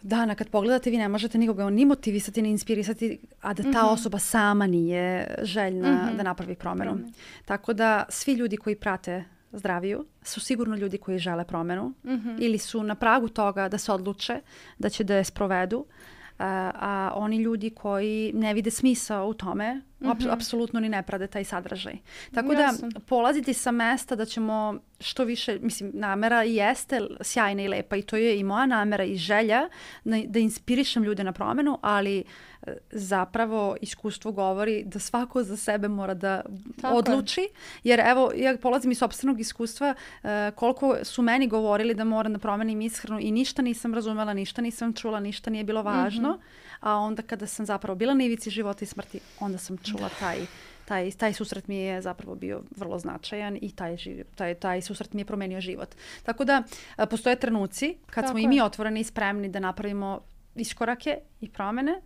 dana kad pogledate vi ne možete nikoga ni motivisati, ni inspirisati, a da ta mm-hmm. osoba sama nije željna mm-hmm. da napravi promjenu. Mm-hmm. Tako da svi ljudi koji prate zdraviju su sigurno ljudi koji žele promjenu mm-hmm. ili su na pragu toga da se odluče da će da je sprovedu. Uh, a oni ljudi koji ne vide smisao u tome, mm-hmm. ap- apsolutno ni ne prade taj sadržaj. Tako Jasno. da polaziti sa mesta da ćemo što više, mislim, namera jeste sjajna i lepa i to je i moja namera i želja na, da inspirišem ljude na promjenu, ali uh, zapravo iskustvo govori da svako za sebe mora da Tako odluči. Je. Jer evo, ja polazim iz sopstvenog iskustva uh, koliko su meni govorili da moram da promenim ishranu i ništa nisam razumela, ništa nisam čula, ništa nije bilo važno. Mm-hmm. A onda kada sam zapravo bila na ivici života i smrti, onda sam čula taj, taj, taj susret mi je zapravo bio vrlo značajan i taj, taj, taj susret mi je promenio život. Tako da postoje trenuci kad Tako smo je. i mi otvoreni i spremni da napravimo iskorake i promjene.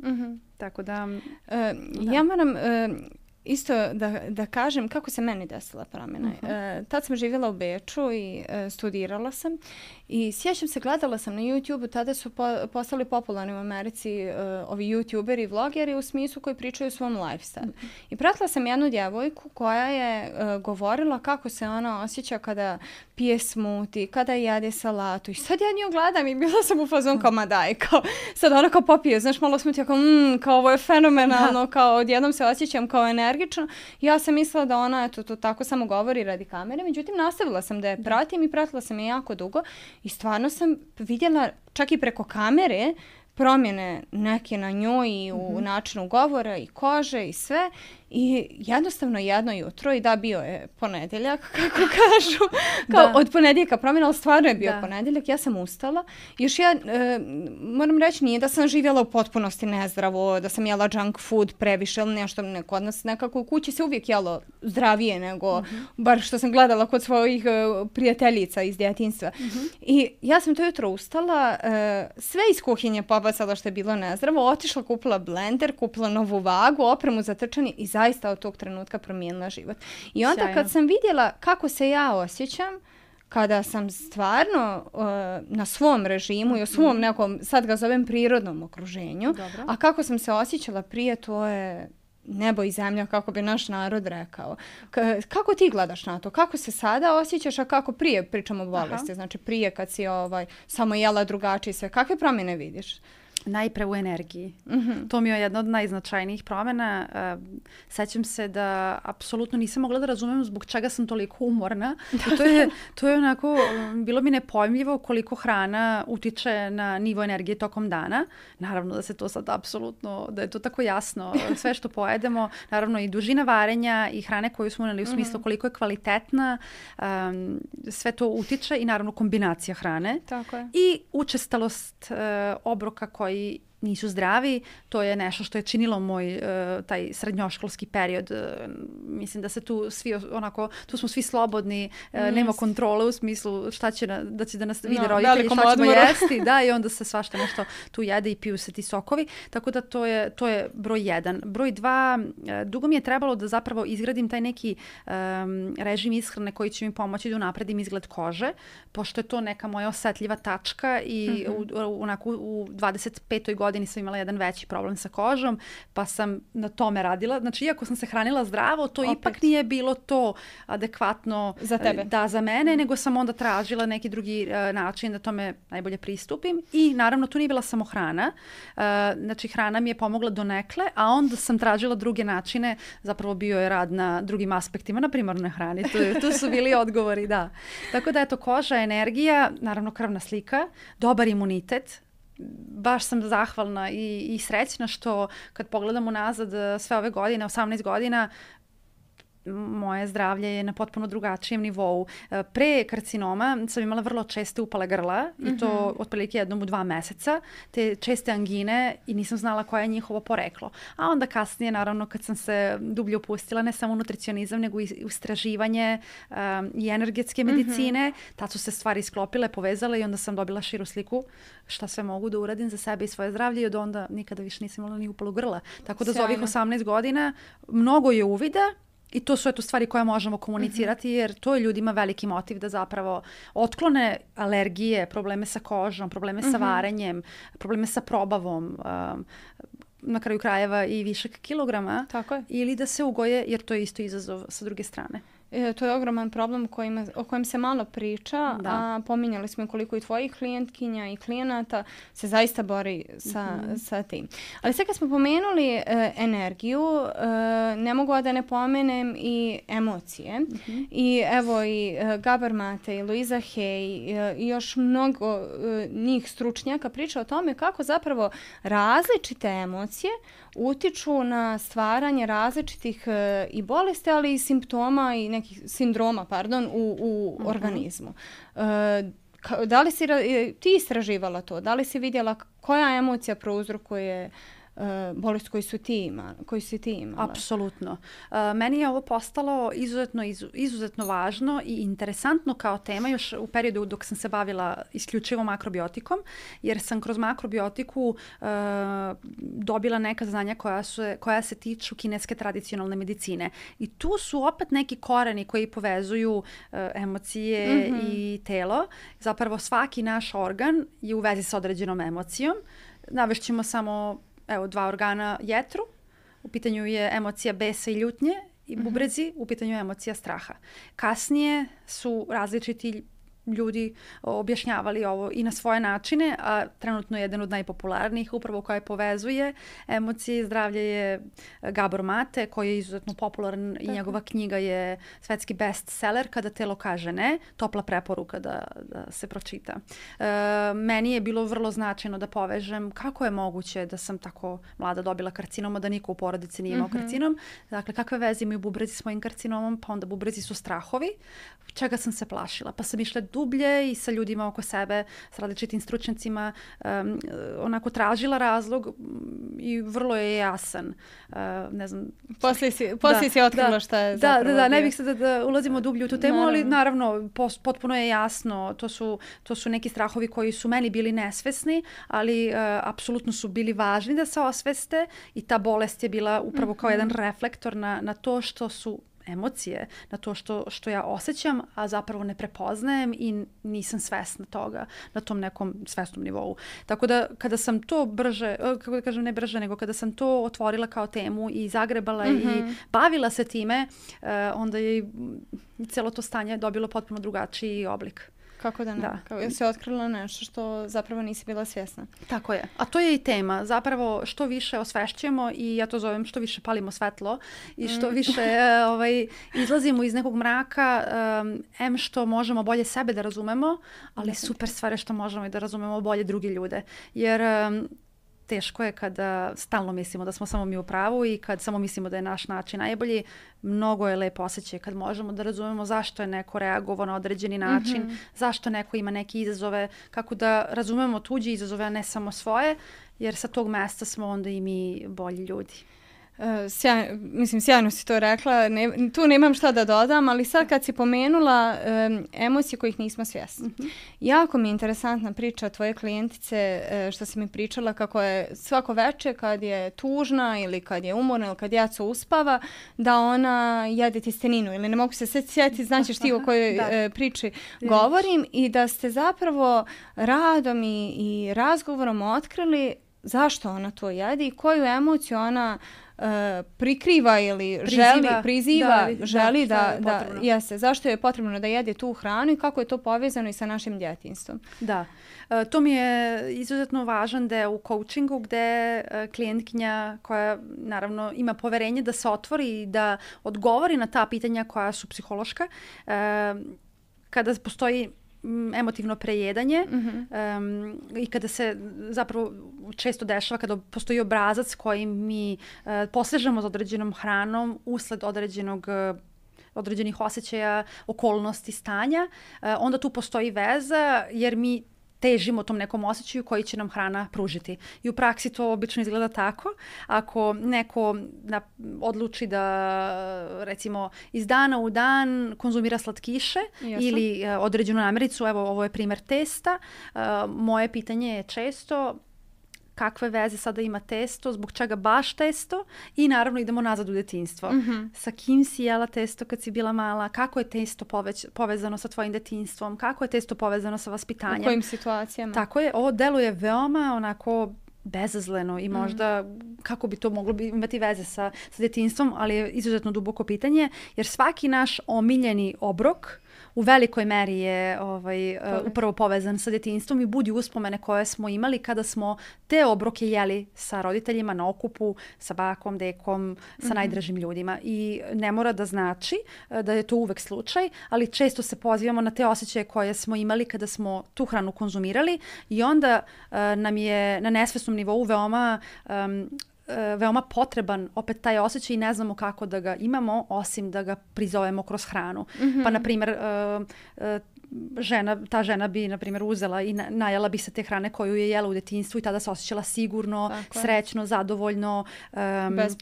Mm-hmm. Tako da, e, da. Ja moram... E, Isto da, da kažem kako se meni desila promjena. Uh-huh. E, tad sam živjela u Beču i e, studirala sam i sjećam se, gledala sam na YouTube, tada su po, postali popularni u Americi e, ovi YouTuberi i vlogeri u smislu koji pričaju o svom lifestyle. Uh-huh. I pratila sam jednu djevojku koja je e, govorila kako se ona osjeća kada pije smoothie, kada jede salatu. I sad ja nju gledam i bila sam u fazon kao ma daj, kao sad ona kao popije, znaš, malo smoothie, kao mmm, kao ovo je fenomenalno, kao odjednom se osjećam kao energično. Ja sam mislila da ona eto, to tako samo govori radi kamere, međutim nastavila sam da je pratim i pratila sam je jako dugo i stvarno sam vidjela čak i preko kamere promjene neke na njoj i u mm-hmm. načinu govora i kože i sve. I jednostavno jedno jutro, i da, bio je ponedjeljak, kako kažu, kao od ponedjeljka promjena, ali stvarno je bio da. ponedjeljak, ja sam ustala. Još ja, e, moram reći, nije da sam živjela u potpunosti nezdravo, da sam jela junk food previše ili nešto, neko od nas nekako u kući se uvijek jelo zdravije nego, mm-hmm. bar što sam gledala kod svojih uh, prijateljica iz djetinjstva. Mm-hmm. I ja sam to jutro ustala, e, sve iz kuhinje pobacala što je bilo nezdravo, otišla, kupila blender, kupila novu vagu, opremu za trčanje i zaista od tog trenutka promijenila život. I onda Sjajno. kad sam vidjela kako se ja osjećam, kada sam stvarno uh, na svom režimu i u svom nekom, sad ga zovem prirodnom okruženju, Dobro. a kako sam se osjećala prije, to je nebo i zemlja, kako bi naš narod rekao. K- kako ti gledaš na to? Kako se sada osjećaš, a kako prije, pričamo o bolesti, Aha. znači prije kad si ovaj, samo jela drugačije sve, kakve promjene vidiš? Najpre u energiji. Mm-hmm. To mi je jedna od najznačajnijih promjena. Uh, sećam se da apsolutno nisam mogla da razumem zbog čega sam toliko umorna. I to je, to je onako, bilo mi nepojmljivo koliko hrana utiče na nivo energije tokom dana. Naravno da se to sad apsolutno, da je to tako jasno. Sve što pojedemo, naravno i dužina varenja i hrane koju smo uneli u smislu mm-hmm. koliko je kvalitetna, um, sve to utiče i naravno kombinacija hrane. Tako je. I učestalost uh, obroka koji nisu zdravi. To je nešto što je činilo moj uh, taj srednjoškolski period. Uh, mislim da se tu svi onako, tu smo svi slobodni, uh, yes. nema kontrole u smislu šta će na, da će da nas vide no, roditelji, šta ćemo odmoru. Jesti, da, i onda se svašta nešto tu jede i piju se ti sokovi. Tako da to je, to je broj jedan. Broj dva, uh, dugo mi je trebalo da zapravo izgradim taj neki um, režim ishrane koji će mi pomoći da unapredim izgled kože, pošto je to neka moja osetljiva tačka i mm-hmm. u, u, onako, u dvadeset petoj godini sam imala jedan veći problem sa kožom, pa sam na tome radila. Znači, iako sam se hranila zdravo, to Opet. ipak nije bilo to adekvatno za tebe. Da, za mene, nego sam onda tražila neki drugi uh, način da tome najbolje pristupim. I naravno, tu nije bila samo hrana. Uh, znači, hrana mi je pomogla donekle, a onda sam tražila druge načine. Zapravo bio je rad na drugim aspektima, na primarnoj hrani. Tu, tu su bili odgovori, da. Tako da, eto, koža, energija, naravno krvna slika, dobar imunitet. Baš sam zahvalna i, i srećna što kad pogledam unazad sve ove godine, osamnaest godina, moje zdravlje je na potpuno drugačijem nivou. Pre karcinoma sam imala vrlo česte upale grla mm-hmm. i to otprilike jednom u dva meseca, te česte angine i nisam znala koje je njihovo poreklo. A onda kasnije, naravno, kad sam se dublje upustila, ne samo u nutricionizam, nego i istraživanje um, i energetske medicine, mm-hmm. tad su se stvari sklopile, povezale i onda sam dobila širu sliku šta sve mogu da uradim za sebe i svoje zdravlje i od onda nikada više nisam imala ni upalu grla. Tako da Sjajno. Za ovih osamnaest godina mnogo je uvida. I to su eto stvari koje možemo komunicirati jer to je ljudima veliki motiv da zapravo otklone alergije, probleme sa kožom, probleme mm-hmm. sa varenjem, probleme sa probavom, um, na kraju krajeva i višak kilograma. Tako je. Ili da se ugoje jer to je isto izazov sa druge strane. E, to je ogroman problem kojima, o kojem se malo priča, da. A pominjali smo koliko i tvojih klijentkinja i klijenata se zaista bori sa, mm-hmm. sa tim. Ali sve kad smo pomenuli e, energiju, e, ne mogu da ne pomenem i emocije. Mm-hmm. I evo i e, Gabor Mate i Louise Hay e, i još mnogo e, njih stručnjaka priča o tome kako zapravo različite emocije utiču na stvaranje različitih e, i bolesti, ali i simptoma i nekih sindroma, pardon, u, u uh-huh. organizmu. E, ka, da li si ti istraživala to? Da li si vidjela koja emocija prouzrokuje Uh, bolest koju su ti imala, koju si ti imala? Apsolutno. Uh, meni je ovo postalo izuzetno, izu, izuzetno važno i interesantno kao tema još u periodu dok sam se bavila isključivo makrobiotikom, jer sam kroz makrobiotiku uh, dobila neka znanja koja, su, koja se tiču kineske tradicionalne medicine. I tu su opet neki koreni koji povezuju uh, emocije mm-hmm. i telo. Zapravo svaki naš organ je u vezi sa određenom emocijom. Navešćemo samo evo, dva organa jetru, u pitanju je emocija besa i ljutnje i bubrezi, mm-hmm. u pitanju je emocija straha. Kasnije su različiti ljudi objašnjavali ovo i na svoje načine, a trenutno je jedan od najpopularnijih upravo koja povezuje emocije i zdravlje je Gabor Mate, koji je izuzetno popularan i njegova knjiga je svetski bestseller Kada telo kaže ne, topla preporuka da, da se pročita. E, meni je bilo vrlo značajno da povežem kako je moguće da sam tako mlada dobila karcinom, a da niko u porodici nije imao mm-hmm. karcinom. Dakle, kakve veze imaju bubrezi s mojim karcinomom, pa onda bubrezi su strahovi, čega sam se plašila. Pa sam išla dublje i sa ljudima oko sebe, s različitim stručnjacima, um, onako tražila razlog i vrlo je jasan. Uh, ne znam. Poslije si, poslije da, si otkrila da, šta je da, zapravo. Da, da, ne bih se da, da ulazimo dublje u tu temu, naravno. Ali naravno pos, potpuno je jasno. To su, to su neki strahovi koji su meni bili nesvesni, ali uh, apsolutno su bili važni da se osveste i ta bolest je bila upravo kao mm-hmm. jedan reflektor na, na to što su emocije, na to što, što ja osjećam, a zapravo ne prepoznajem i nisam svesna toga na tom nekom svesnom nivou. Tako da kada sam to brže, kako da kažem ne brže, nego kada sam to otvorila kao temu i zagrebala mm-hmm. i bavila se time, onda je i cijelo to stanje dobilo potpuno drugačiji oblik. Kako da ne? Da. Kako si otkrila nešto što zapravo nisi bila svjesna. Tako je. A to je i tema. Zapravo što više osvešćujemo i ja to zovem što više palimo svetlo i što mm. više uh, ovaj, izlazimo iz nekog mraka, um, em što možemo bolje sebe da razumemo, ali super stvar je što možemo i da razumemo bolje druge ljude. Jer um, teško je kada stalno mislimo da smo samo mi u pravu i kad samo mislimo da je naš način najbolji. Mnogo je lepo osjećaj kad možemo da razumemo zašto je neko reagovao na određeni način, mm-hmm. zašto neko ima neke izazove, kako da razumemo tuđe izazove, a ne samo svoje, jer sa tog mesta smo onda i mi bolji ljudi. Uh, sjaj, mislim, sjajno si to rekla, ne, tu nemam šta da dodam, ali sad kad si pomenula um, emocije kojih nismo svjesni. Mm-hmm. Jako mi je interesantna priča tvoje klijentice, uh, što si mi pričala kako je svako veče kad je tužna ili kad je umorna ili kad djeca uspava, da ona jede tjesteninu ili ne mogu se sad sjetiti, značiš ti o kojoj uh, priči govorim i da ste zapravo radom i, i razgovorom otkrili zašto ona to jede i koju emociju ona Uh, prikriva ili priziva, želi, priziva, da, želi da, da, da jeste, zašto je potrebno da jede tu hranu i kako je to povezano i sa našim djetinjstvom. Da, uh, to mi je izuzetno važan deo u coachingu gde uh, klijentkinja koja naravno ima poverenje da se otvori i da odgovori na ta pitanja koja su psihološka, uh, kada postoji emotivno prejedanje mm-hmm. um, i kada se zapravo često dešava kada postoji obrazac koji mi uh, posežemo za određenom hranom usled određenog uh, određenih osjećaja, okolnosti, stanja, uh, onda tu postoji veza jer mi težimo tom nekom osjećaju koji će nam hrana pružiti. I u praksi to obično izgleda tako. Ako neko na, odluči da recimo iz dana u dan konzumira slatkiše Jasno. ili uh, određenu namirnicu, evo ovo je primjer testa, uh, moje pitanje je često kakve veze sada ima testo, zbog čega baš testo i naravno idemo nazad u detinjstvo. Mm-hmm. Sa kim si jela testo kad si bila mala, kako je testo poveć, povezano sa tvojim detinjstvom, kako je testo povezano sa vaspitanjem. U kojim situacijama. Tako je, ovo deluje veoma onako bezazleno i možda mm. kako bi to moglo bi imati veze sa, sa detinjstvom, ali je izuzetno duboko pitanje, jer svaki naš omiljeni obrok u velikoj meri je ovaj, uh, upravo povezan sa detinjstvom i budi uspomene koje smo imali kada smo te obroke jeli sa roditeljima na okupu, sa bakom, dekom, sa mm-hmm. najdražim ljudima. I ne mora da znači uh, da je to uvek slučaj, ali često se pozivamo na te osjećaje koje smo imali kada smo tu hranu konzumirali i onda uh, nam je na nesvesnom nivou veoma um, veoma potreban opet taj osjećaj i ne znamo kako da ga imamo osim da ga prizovemo kroz hranu. Mm-hmm. Pa na primjer uh, uh, žena, ta žena bi na primjer uzela i na, najela bi se te hrane koju je jela u detinjstvu i tada se osjećala sigurno, Tako srećno, je. zadovoljno, um,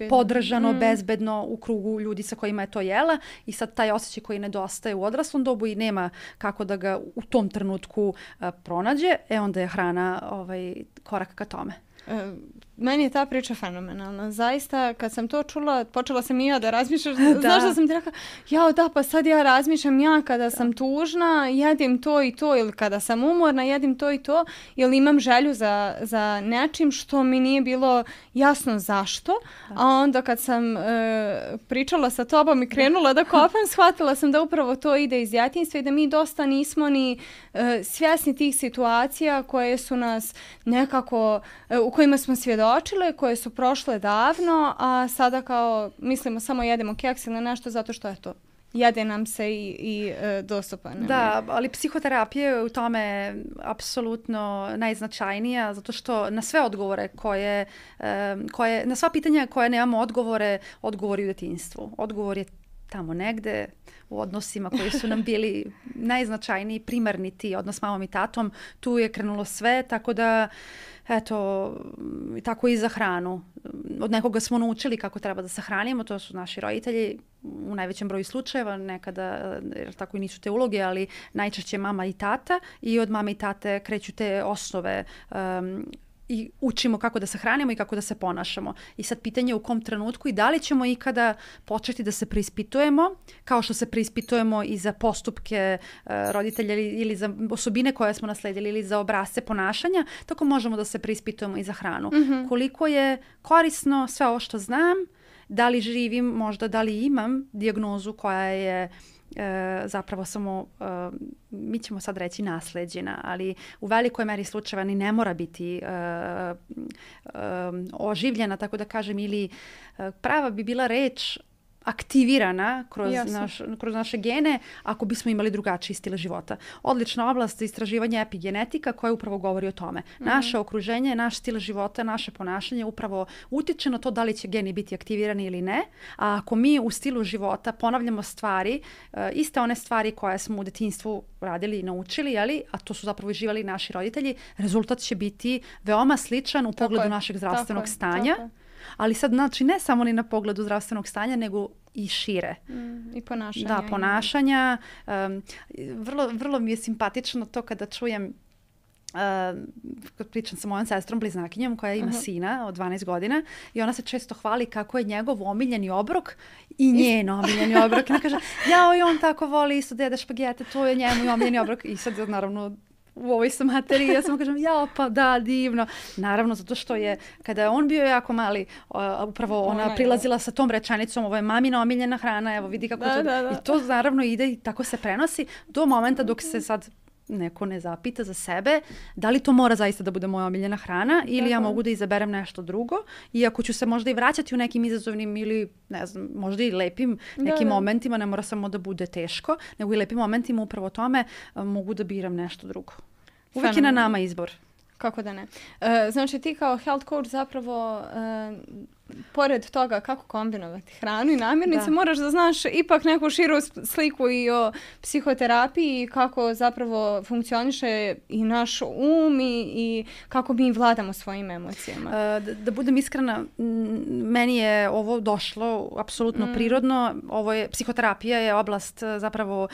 podržano, mm. bezbedno u krugu ljudi sa kojima je to jela i sad taj osjećaj koji nedostaje u odraslom dobu i nema kako da ga u tom trenutku uh, pronađe, e onda je hrana ovaj, korak ka tome. Uh, meni je ta priča fenomenalna. Zaista, kad sam to čula, počela sam i ja da razmišljam. da. Znaš da sam ti rekla, jao da, pa sad ja razmišljam ja kada da. sam tužna, jedim to i to, ili kada sam umorna, jedim to i to, ili imam želju za, za nečim što mi nije bilo jasno zašto. Da. A onda kad sam uh, pričala sa tobom i krenula da, da kopam, shvatila sam da upravo to ide iz djetinjstva i da mi dosta nismo ni uh, svjesni tih situacija koje su nas nekako, uh, u kojima smo svjedočili, koje su prošle davno, a sada kao mislimo samo jedemo keks ili nešto zato što je to. Jede nam se i, i e, dostupan. Da, ali psihoterapija je u tome apsolutno najznačajnija zato što na sve odgovore koje, e, koje, na sva pitanja koje nemamo odgovore, odgovori u detinjstvu. Odgovor je tamo negde u odnosima koji su nam bili najznačajniji, primarni ti odnos s mamom i tatom. Tu je krenulo sve, tako da eto, tako i za hranu. Od nekoga smo naučili kako treba da se hranimo, to su naši roditelji u najvećem broju slučajeva, nekada, jer tako i nisu te uloge, ali najčešće mama i tata i od mame i tate kreću te osnove um, i učimo kako da se hranimo i kako da se ponašamo. I sad pitanje je u kom trenutku i da li ćemo ikada početi da se preispitujemo, kao što se preispitujemo i za postupke uh, roditelja ili, ili za osobine koje smo nasledili ili za obrasce ponašanja, tako možemo da se preispitujemo i za hranu. Mm-hmm. Koliko je korisno sve ovo što znam, da li živim, možda da li imam dijagnozu koja je E, zapravo samo, e, mi ćemo sad reći nasleđena, ali u velikoj meri slučajeva ni ne mora biti e, e, oživljena, tako da kažem, ili e, prava bi bila reč aktivirana kroz, naš, kroz naše gene ako bismo imali drugačiji stil života. Odlična oblast za istraživanje epigenetika koja upravo govori o tome. Mm-hmm. Naše okruženje, naš stil života, naše ponašanje upravo utiče na to da li će geni biti aktivirani ili ne. A ako mi u stilu života ponavljamo stvari, uh, iste one stvari koje smo u detinjstvu radili i naučili, jeli, a to su zapravo živjeli naši roditelji, rezultat će biti veoma sličan u pogledu tako našeg zdravstvenog tako stanja. Tako. Ali sad, znači, ne samo ni na pogledu zdravstvenog stanja, nego i šire. Mm, I ponašanja. Da, ponašanja. Um, vrlo, vrlo mi je simpatično to kada čujem, uh, pričam sa mojom sestrom bliznakinjom koja ima uh-huh. sina od dvanaest godina i ona se često hvali kako je njegov omiljeni obrok i njen omiljeni obrok. I ona kaže, jao, i on tako voli isto da jede špagete, to je njemu i omiljeni obrok. I sad, naravno, u ovoj sam materiji, ja samo kažem, jao, pa da, divno. Naravno, zato što je, kada je on bio jako mali, uh, upravo ona, ona prilazila sa tom rečenicom, ovo je mamina omiljena hrana, evo vidi kako da, to... Da, da. I to naravno ide i tako se prenosi do momenta dok se sad neko ne zapita za sebe da li to mora zaista da bude moja omiljena hrana ili Tako. ja mogu da izaberem nešto drugo. Iako ću se možda i vraćati u nekim izazovnim ili, ne znam, možda i lepim nekim da, da. momentima, ne mora samo da bude teško, nego i lepim momentima upravo tome mogu da biram nešto drugo. Uvijek je na nama izbor. Kako da ne. E, znači ti kao health coach zapravo e, pored toga kako kombinovati hranu i namirnice, da. moraš da znaš ipak neku širu sliku i o psihoterapiji, kako zapravo funkcioniše i naš um i, i kako mi vladamo svojim emocijama. E, da, da budem iskrena, meni je ovo došlo apsolutno mm. prirodno. Ovo je, psihoterapija je oblast zapravo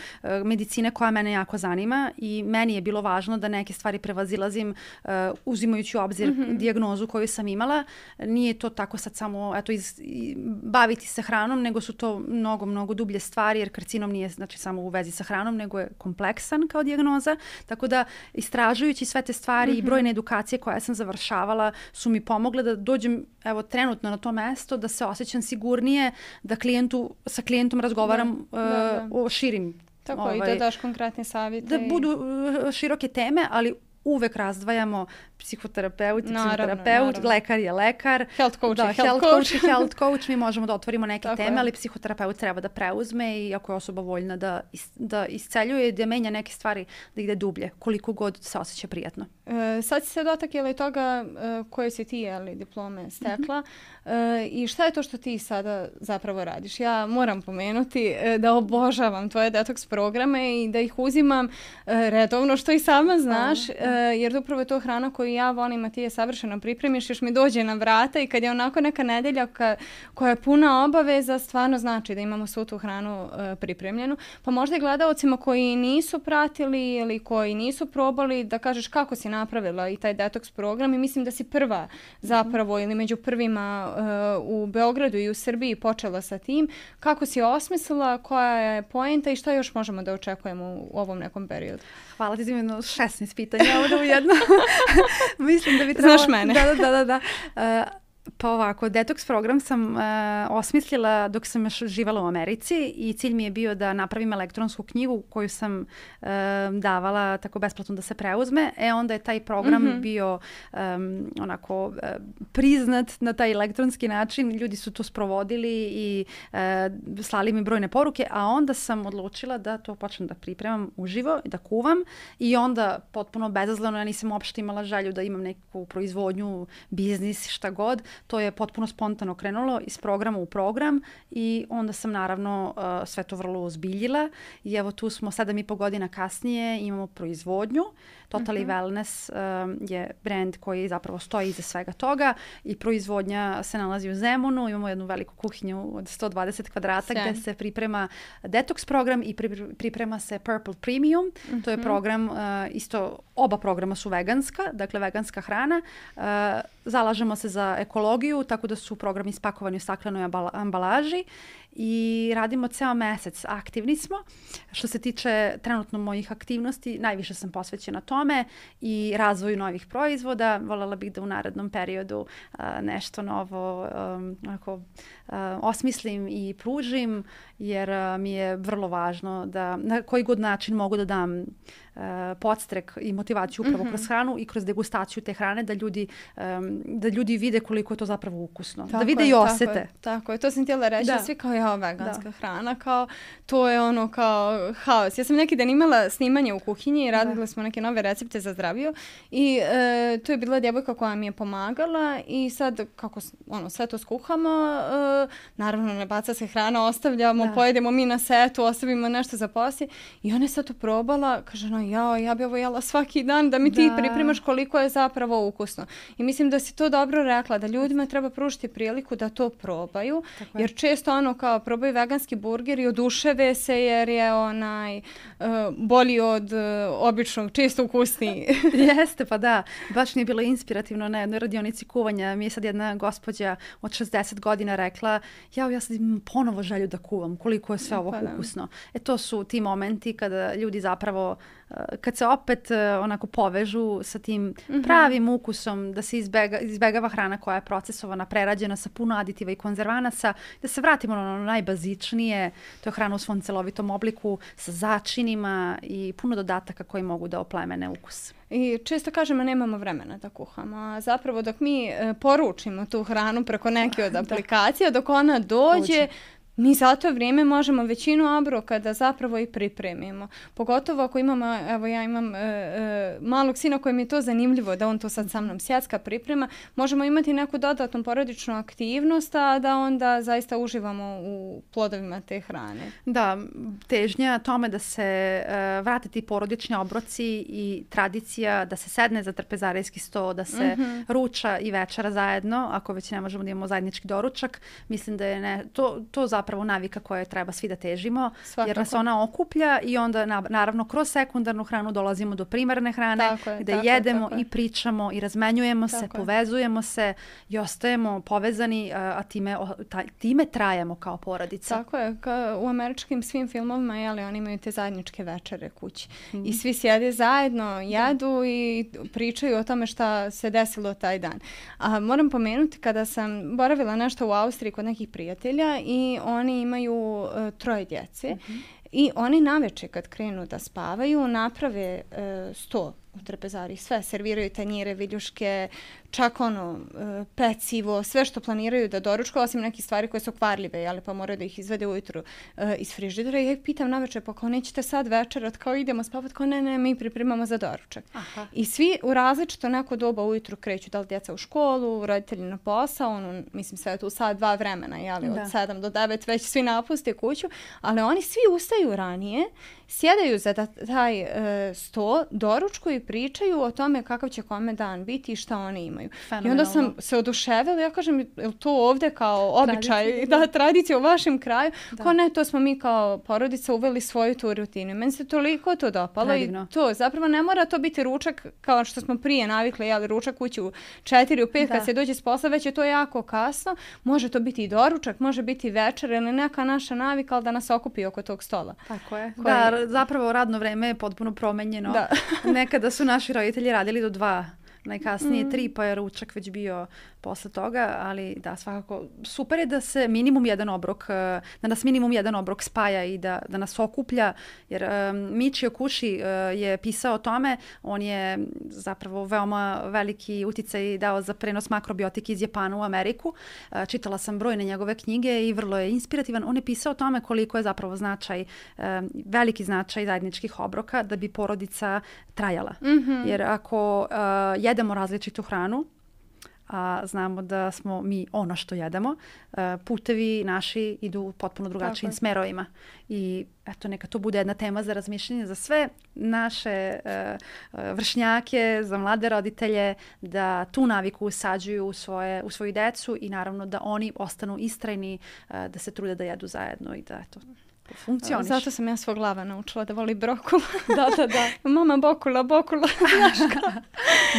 medicine koja mene jako zanima i meni je bilo važno da neke stvari prevazilazim uh, uzimajući u obzir mm-hmm. dijagnozu koju sam imala. Nije to tako sad samo eto, iz, i, baviti se hranom, nego su to mnogo, mnogo dublje stvari, jer karcinom nije znači, samo u vezi sa hranom, nego je kompleksan kao dijagnoza. Tako da, istražujući sve te stvari mm-hmm. i brojne edukacije koje sam završavala su mi pomogle da dođem evo, trenutno na to mesto, da se osjećam sigurnije, da klijentu, sa klijentom razgovaram da, uh, da, da. o širim. Tako ovaj, i da daš konkretne savjete. Da i... budu uh, široke teme, ali uvek razdvajamo psihoterapeut i psihoterapeut, lekar je lekar. Health coach da, je health, health coach. health coach. Mi možemo da otvorimo neke Tako teme, je. ali psihoterapeut treba da preuzme i ako je osoba voljna da, is, da isceljuje, da menja neke stvari, da ide dublje, koliko god se osjeća prijatno. E, sad si se dotakla i toga e, koje si ti ali, diplome stekla mm-hmm. e, i šta je to što ti sada zapravo radiš? Ja moram pomenuti e, da obožavam tvoje detoks programe i da ih uzimam e, redovno, što i sama znaš, e, jer upravo je to hrana koju ja volim, a ti je savršeno pripremiš, još mi dođe na vrata i kad je onako neka nedelja ka, koja je puna obaveza, stvarno znači da imamo svu tu hranu e, pripremljenu. Pa možda i gledaocima koji nisu pratili ili koji nisu probali, da kažeš kako si napravila i taj detoks program i mislim da si prva zapravo ili među prvima uh, u Beogradu i u Srbiji počela sa tim. Kako si osmislila, koja je poenta i šta još možemo da očekujemo u, u ovom nekom periodu? Hvala ti za jedno šesnaest pitanja ovdje u jedno. Mislim da bi trebalo... Znaš mene. Da, da, da. da. Uh, Pa ovako, detoks program sam uh, osmislila dok sam još živala u Americi i cilj mi je bio da napravim elektronsku knjigu koju sam uh, davala tako besplatno da se preuzme. E onda je taj program mm-hmm. bio um, onako uh, priznat na taj elektronski način. Ljudi su to sprovodili i uh, slali mi brojne poruke, a onda sam odlučila da to počnem da pripremam uživo i da kuvam i onda potpuno bezazleno, ja nisam uopšte imala želju da imam neku proizvodnju, biznis, šta god. To je potpuno spontano krenulo iz programa u program i onda sam naravno uh, sve to vrlo ozbiljila i evo tu smo sedam i po godina kasnije, imamo proizvodnju. Totally mm-hmm. Wellness um, je brand koji zapravo stoji iza svega toga i proizvodnja se nalazi u Zemunu. Imamo jednu veliku kuhinju od sto dvadeset kvadrata Sjajn. Gdje se priprema detoks program i pri, priprema se Purple Premium. Mm-hmm. To je program, uh, isto oba programa su veganska, dakle veganska hrana. Uh, zalažemo se za ekologiju, tako da su programi ispakovani u staklenoj ambalaži i radimo ceo mesec. Aktivni smo. Što se tiče trenutno mojih aktivnosti, najviše sam posvećena tome i razvoju novih proizvoda. Voljela bih da u narednom periodu uh, nešto novo um, onako, uh, osmislim i pružim, jer uh, mi je vrlo važno da na koji god način mogu da dam uh, podstrek i motivaciju upravo mm-hmm. kroz hranu i kroz degustaciju te hrane, da ljudi, um, da ljudi vide koliko je to zapravo ukusno. Tako da vide je, i osete. Tako je, tako je. To sam htjela reći. Da. Svi kao ja jao, veganska da. hrana, kao, to je ono kao haos. Ja sam neki dan imala snimanje u kuhinji i radili da. smo neke nove recepte za zdraviju i e, tu je bila djevojka koja mi je pomagala i sad kako ono, sve to skuhamo, e, naravno ne baca se hrana, ostavljamo, da. pojedemo mi na setu, ostavimo nešto za poslije i ona je sad to probala, kaže no, jao, ja bi ovo jela svaki dan da mi da. ti pripremaš koliko je zapravo ukusno. I mislim da si to dobro rekla, da ljudima treba pružiti priliku da to probaju, tako jer često ono kao probaju veganski burger i oduševe se jer je onaj uh, bolji od uh, običnog, često ukusniji. Jeste, pa da. Baš mi je bilo inspirativno na jednoj radionici kuvanja. Mi je sad jedna gospođa od šezdeset godina rekla, ja, ja sad imam ponovo želju da kuvam, koliko je sve ovo pa ukusno. E to su ti momenti kada ljudi zapravo kad se opet onako povežu sa tim mm-hmm. pravim ukusom, da se izbega, izbegava hrana koja je procesovana, prerađena sa puno aditiva i konzervanasa, da se vratimo na ono najbazičnije, to je hrana u svom celovitom obliku, sa začinima i puno dodataka koji mogu da oplemene ukus. I često kažemo nemamo vremena da kuhamo, a zapravo dok mi e, poručimo tu hranu preko neke od aplikacija, dok ona dođe, Dođe. mi za to vrijeme možemo većinu obroka da zapravo i pripremimo. Pogotovo ako imamo, evo ja imam e, e, malog sina kojem je to zanimljivo da on to sad sa mnom sjecka priprema, možemo imati neku dodatnu porodičnu aktivnost, a da onda zaista uživamo u plodovima te hrane. Da, težnja tome da se e, vrate ti porodični obroci i tradicija, da se sedne za trpezarijski sto, da se mm-hmm. ruča i večera zajedno, ako već ne možemo da imamo zajednički doručak, mislim da je ne, to, to zapravo zapravo navika koje treba svi da težimo, Svakako. jer nas ona okuplja i onda naravno kroz sekundarnu hranu dolazimo do primarne hrane je, gde jedemo je, i pričamo i razmenjujemo tako se, je. povezujemo se i ostajemo povezani, a time, time trajemo kao porodica. Tako je, ka, u američkim svim filmovima jeli, oni imaju te zajedničke večere kući mm. i svi sjede zajedno, jedu i pričaju o tome šta se desilo taj dan. A moram pomenuti kada sam boravila nešto u Austriji kod nekih prijatelja i oni imaju uh, troje djece mm-hmm. i oni naveče kad krenu da spavaju naprave uh, sto u trpezariji, sve serviraju tanjire, viljuške, čak ono pecivo, sve što planiraju da doručkuju, osim nekih stvari koje su kvarljive, jeli, pa moraju da ih izvede ujutru uh, iz frižidera. I ja ih pitam navečer, pa kao nećete sad večerat, kao idemo spavat, kao ne, ne, mi pripremamo za doručak. Aha. I svi u različito neko doba ujutru kreću, da li djeca u školu, roditelji na posao, ono, mislim sve tu sad dva vremena, jeli, od sedam do devet već svi napuste kuću, ali oni svi ustaju ranije, sjedaju za da, taj uh, sto, doručkuju i pričaju o tome kakav će kome dan biti i šta oni imaju. I onda sam se oduševila, ja kažem, je to ovdje kao običaj, tradicija. da, tradicija u vašem kraju? Da. Ko ne, to smo mi kao porodica uveli svoju tu rutinu. Meni se toliko to dopalo Predivno. i to, zapravo ne mora to biti ručak kao što smo prije navikli, jeli ručak kući u četiri, u pet, da. kad se dođe s posla, već je to jako kasno. Može to biti i doručak, može biti večer ili neka naša navika, ali da nas okupi oko tog stola. Tako je. Koji... Da, zapravo radno vreme je potpuno promenjeno. Da. Nekada su naši roditelji radili do dva, najkasnije mm. tri, pa je ručak već bio posle toga, ali da, svakako super je da se minimum jedan obrok, da nas minimum jedan obrok spaja i da, da nas okuplja, jer um, Michio Kushi uh, je pisao o tome, on je zapravo veoma veliki uticaj dao za prenos makrobiotike iz Japana u Ameriku. Uh, čitala sam brojne njegove knjige i vrlo je inspirativan. On je pisao o tome koliko je zapravo značaj, uh, veliki značaj zajedničkih obroka da bi porodica trajala. Mm-hmm. Jer ako uh, jedemo različitu hranu, a znamo da smo mi ono što jedemo, putevi naši idu u potpuno drugačijim Tako. smerovima. I eto, neka to bude jedna tema za razmišljanje za sve naše uh, vršnjake, za mlade roditelje, da tu naviku usađuju u, svoje, u svoju decu i naravno da oni ostanu istrajni, uh, da se trude da jedu zajedno i da eto, funkcioniš. Zato sam ja svog glava naučila da voli brokula. Da, da, da. Mama bokula, bokula.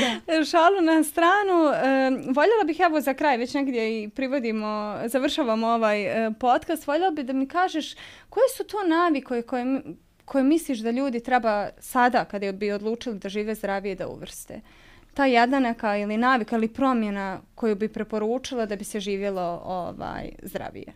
da. Šalu na stranu. E, voljela bih, evo za kraj, već negdje i privodimo, završavamo ovaj e, podcast, voljela bih da mi kažeš koje su to navike koje, koje misliš da ljudi treba sada, kada bi odlučili da žive zdravije, da uvrste? Ta jedna neka ili navika ili promjena koju bi preporučila da bi se živjelo ovaj, zdravije?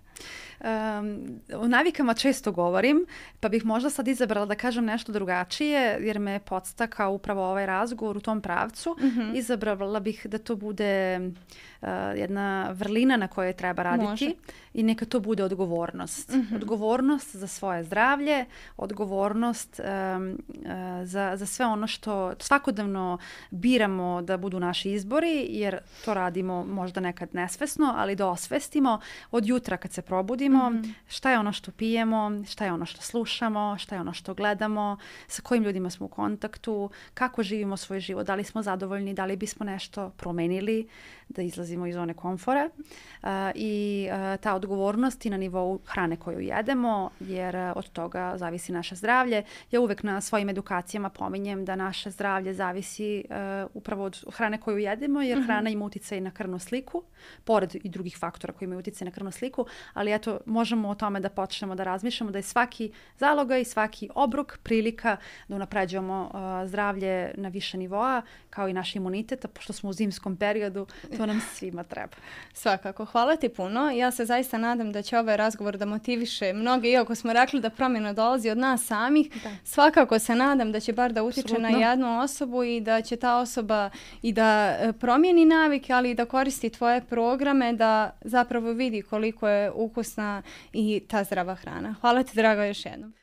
Um, o navikama često govorim, pa bih možda sad izabrala da kažem nešto drugačije, jer me podstakao upravo ovaj razgovor u tom pravcu. Mm-hmm. Izabrala bih da to bude uh, jedna vrlina na kojoj treba raditi. Može. I neka to bude odgovornost. Mm-hmm. Odgovornost za svoje zdravlje, odgovornost um, uh, za, za sve ono što svakodnevno biramo da budu naši izbori, jer to radimo možda nekad nesvesno, ali da osvestimo od jutra kad se probudimo, mm-hmm. šta je ono što pijemo, šta je ono što slušamo, šta je ono što gledamo, sa kojim ljudima smo u kontaktu, kako živimo svoj život, da li smo zadovoljni, da li bismo nešto promenili, da izlazimo iz zone komfora. Uh, I uh, ta odgovornost i na nivou hrane koju jedemo, jer uh, od toga zavisi naše zdravlje. Ja uvek na svojim edukacijama pominjem da naše zdravlje zavisi uh, upravo od hrane koju jedemo, jer mm-hmm. hrana ima uticaj na krvnu sliku, pored i drugih faktora koji imaju uticaj na krvnu sliku, ali eto, možemo o tome da počnemo da razmišljamo da je svaki zalogaj, svaki obrok prilika da unapređujemo uh, zdravlje na više nivoa, kao i naš imunitet, a pošto smo u zimskom periodu, to nam svima treba. Svakako. Hvala ti puno. Ja se zaista nadam da će ovaj razgovor da motiviše mnoge, iako smo rekli da promjena dolazi od nas samih. Da. Svakako se nadam da će bar da utiče Absolutno. Na jednu osobu i da će ta osoba i da promijeni navike, ali i da koristi tvoje programe, da zapravo vidi koliko je ukusna i ta zdrava hrana. Hvala ti, draga, još jednom.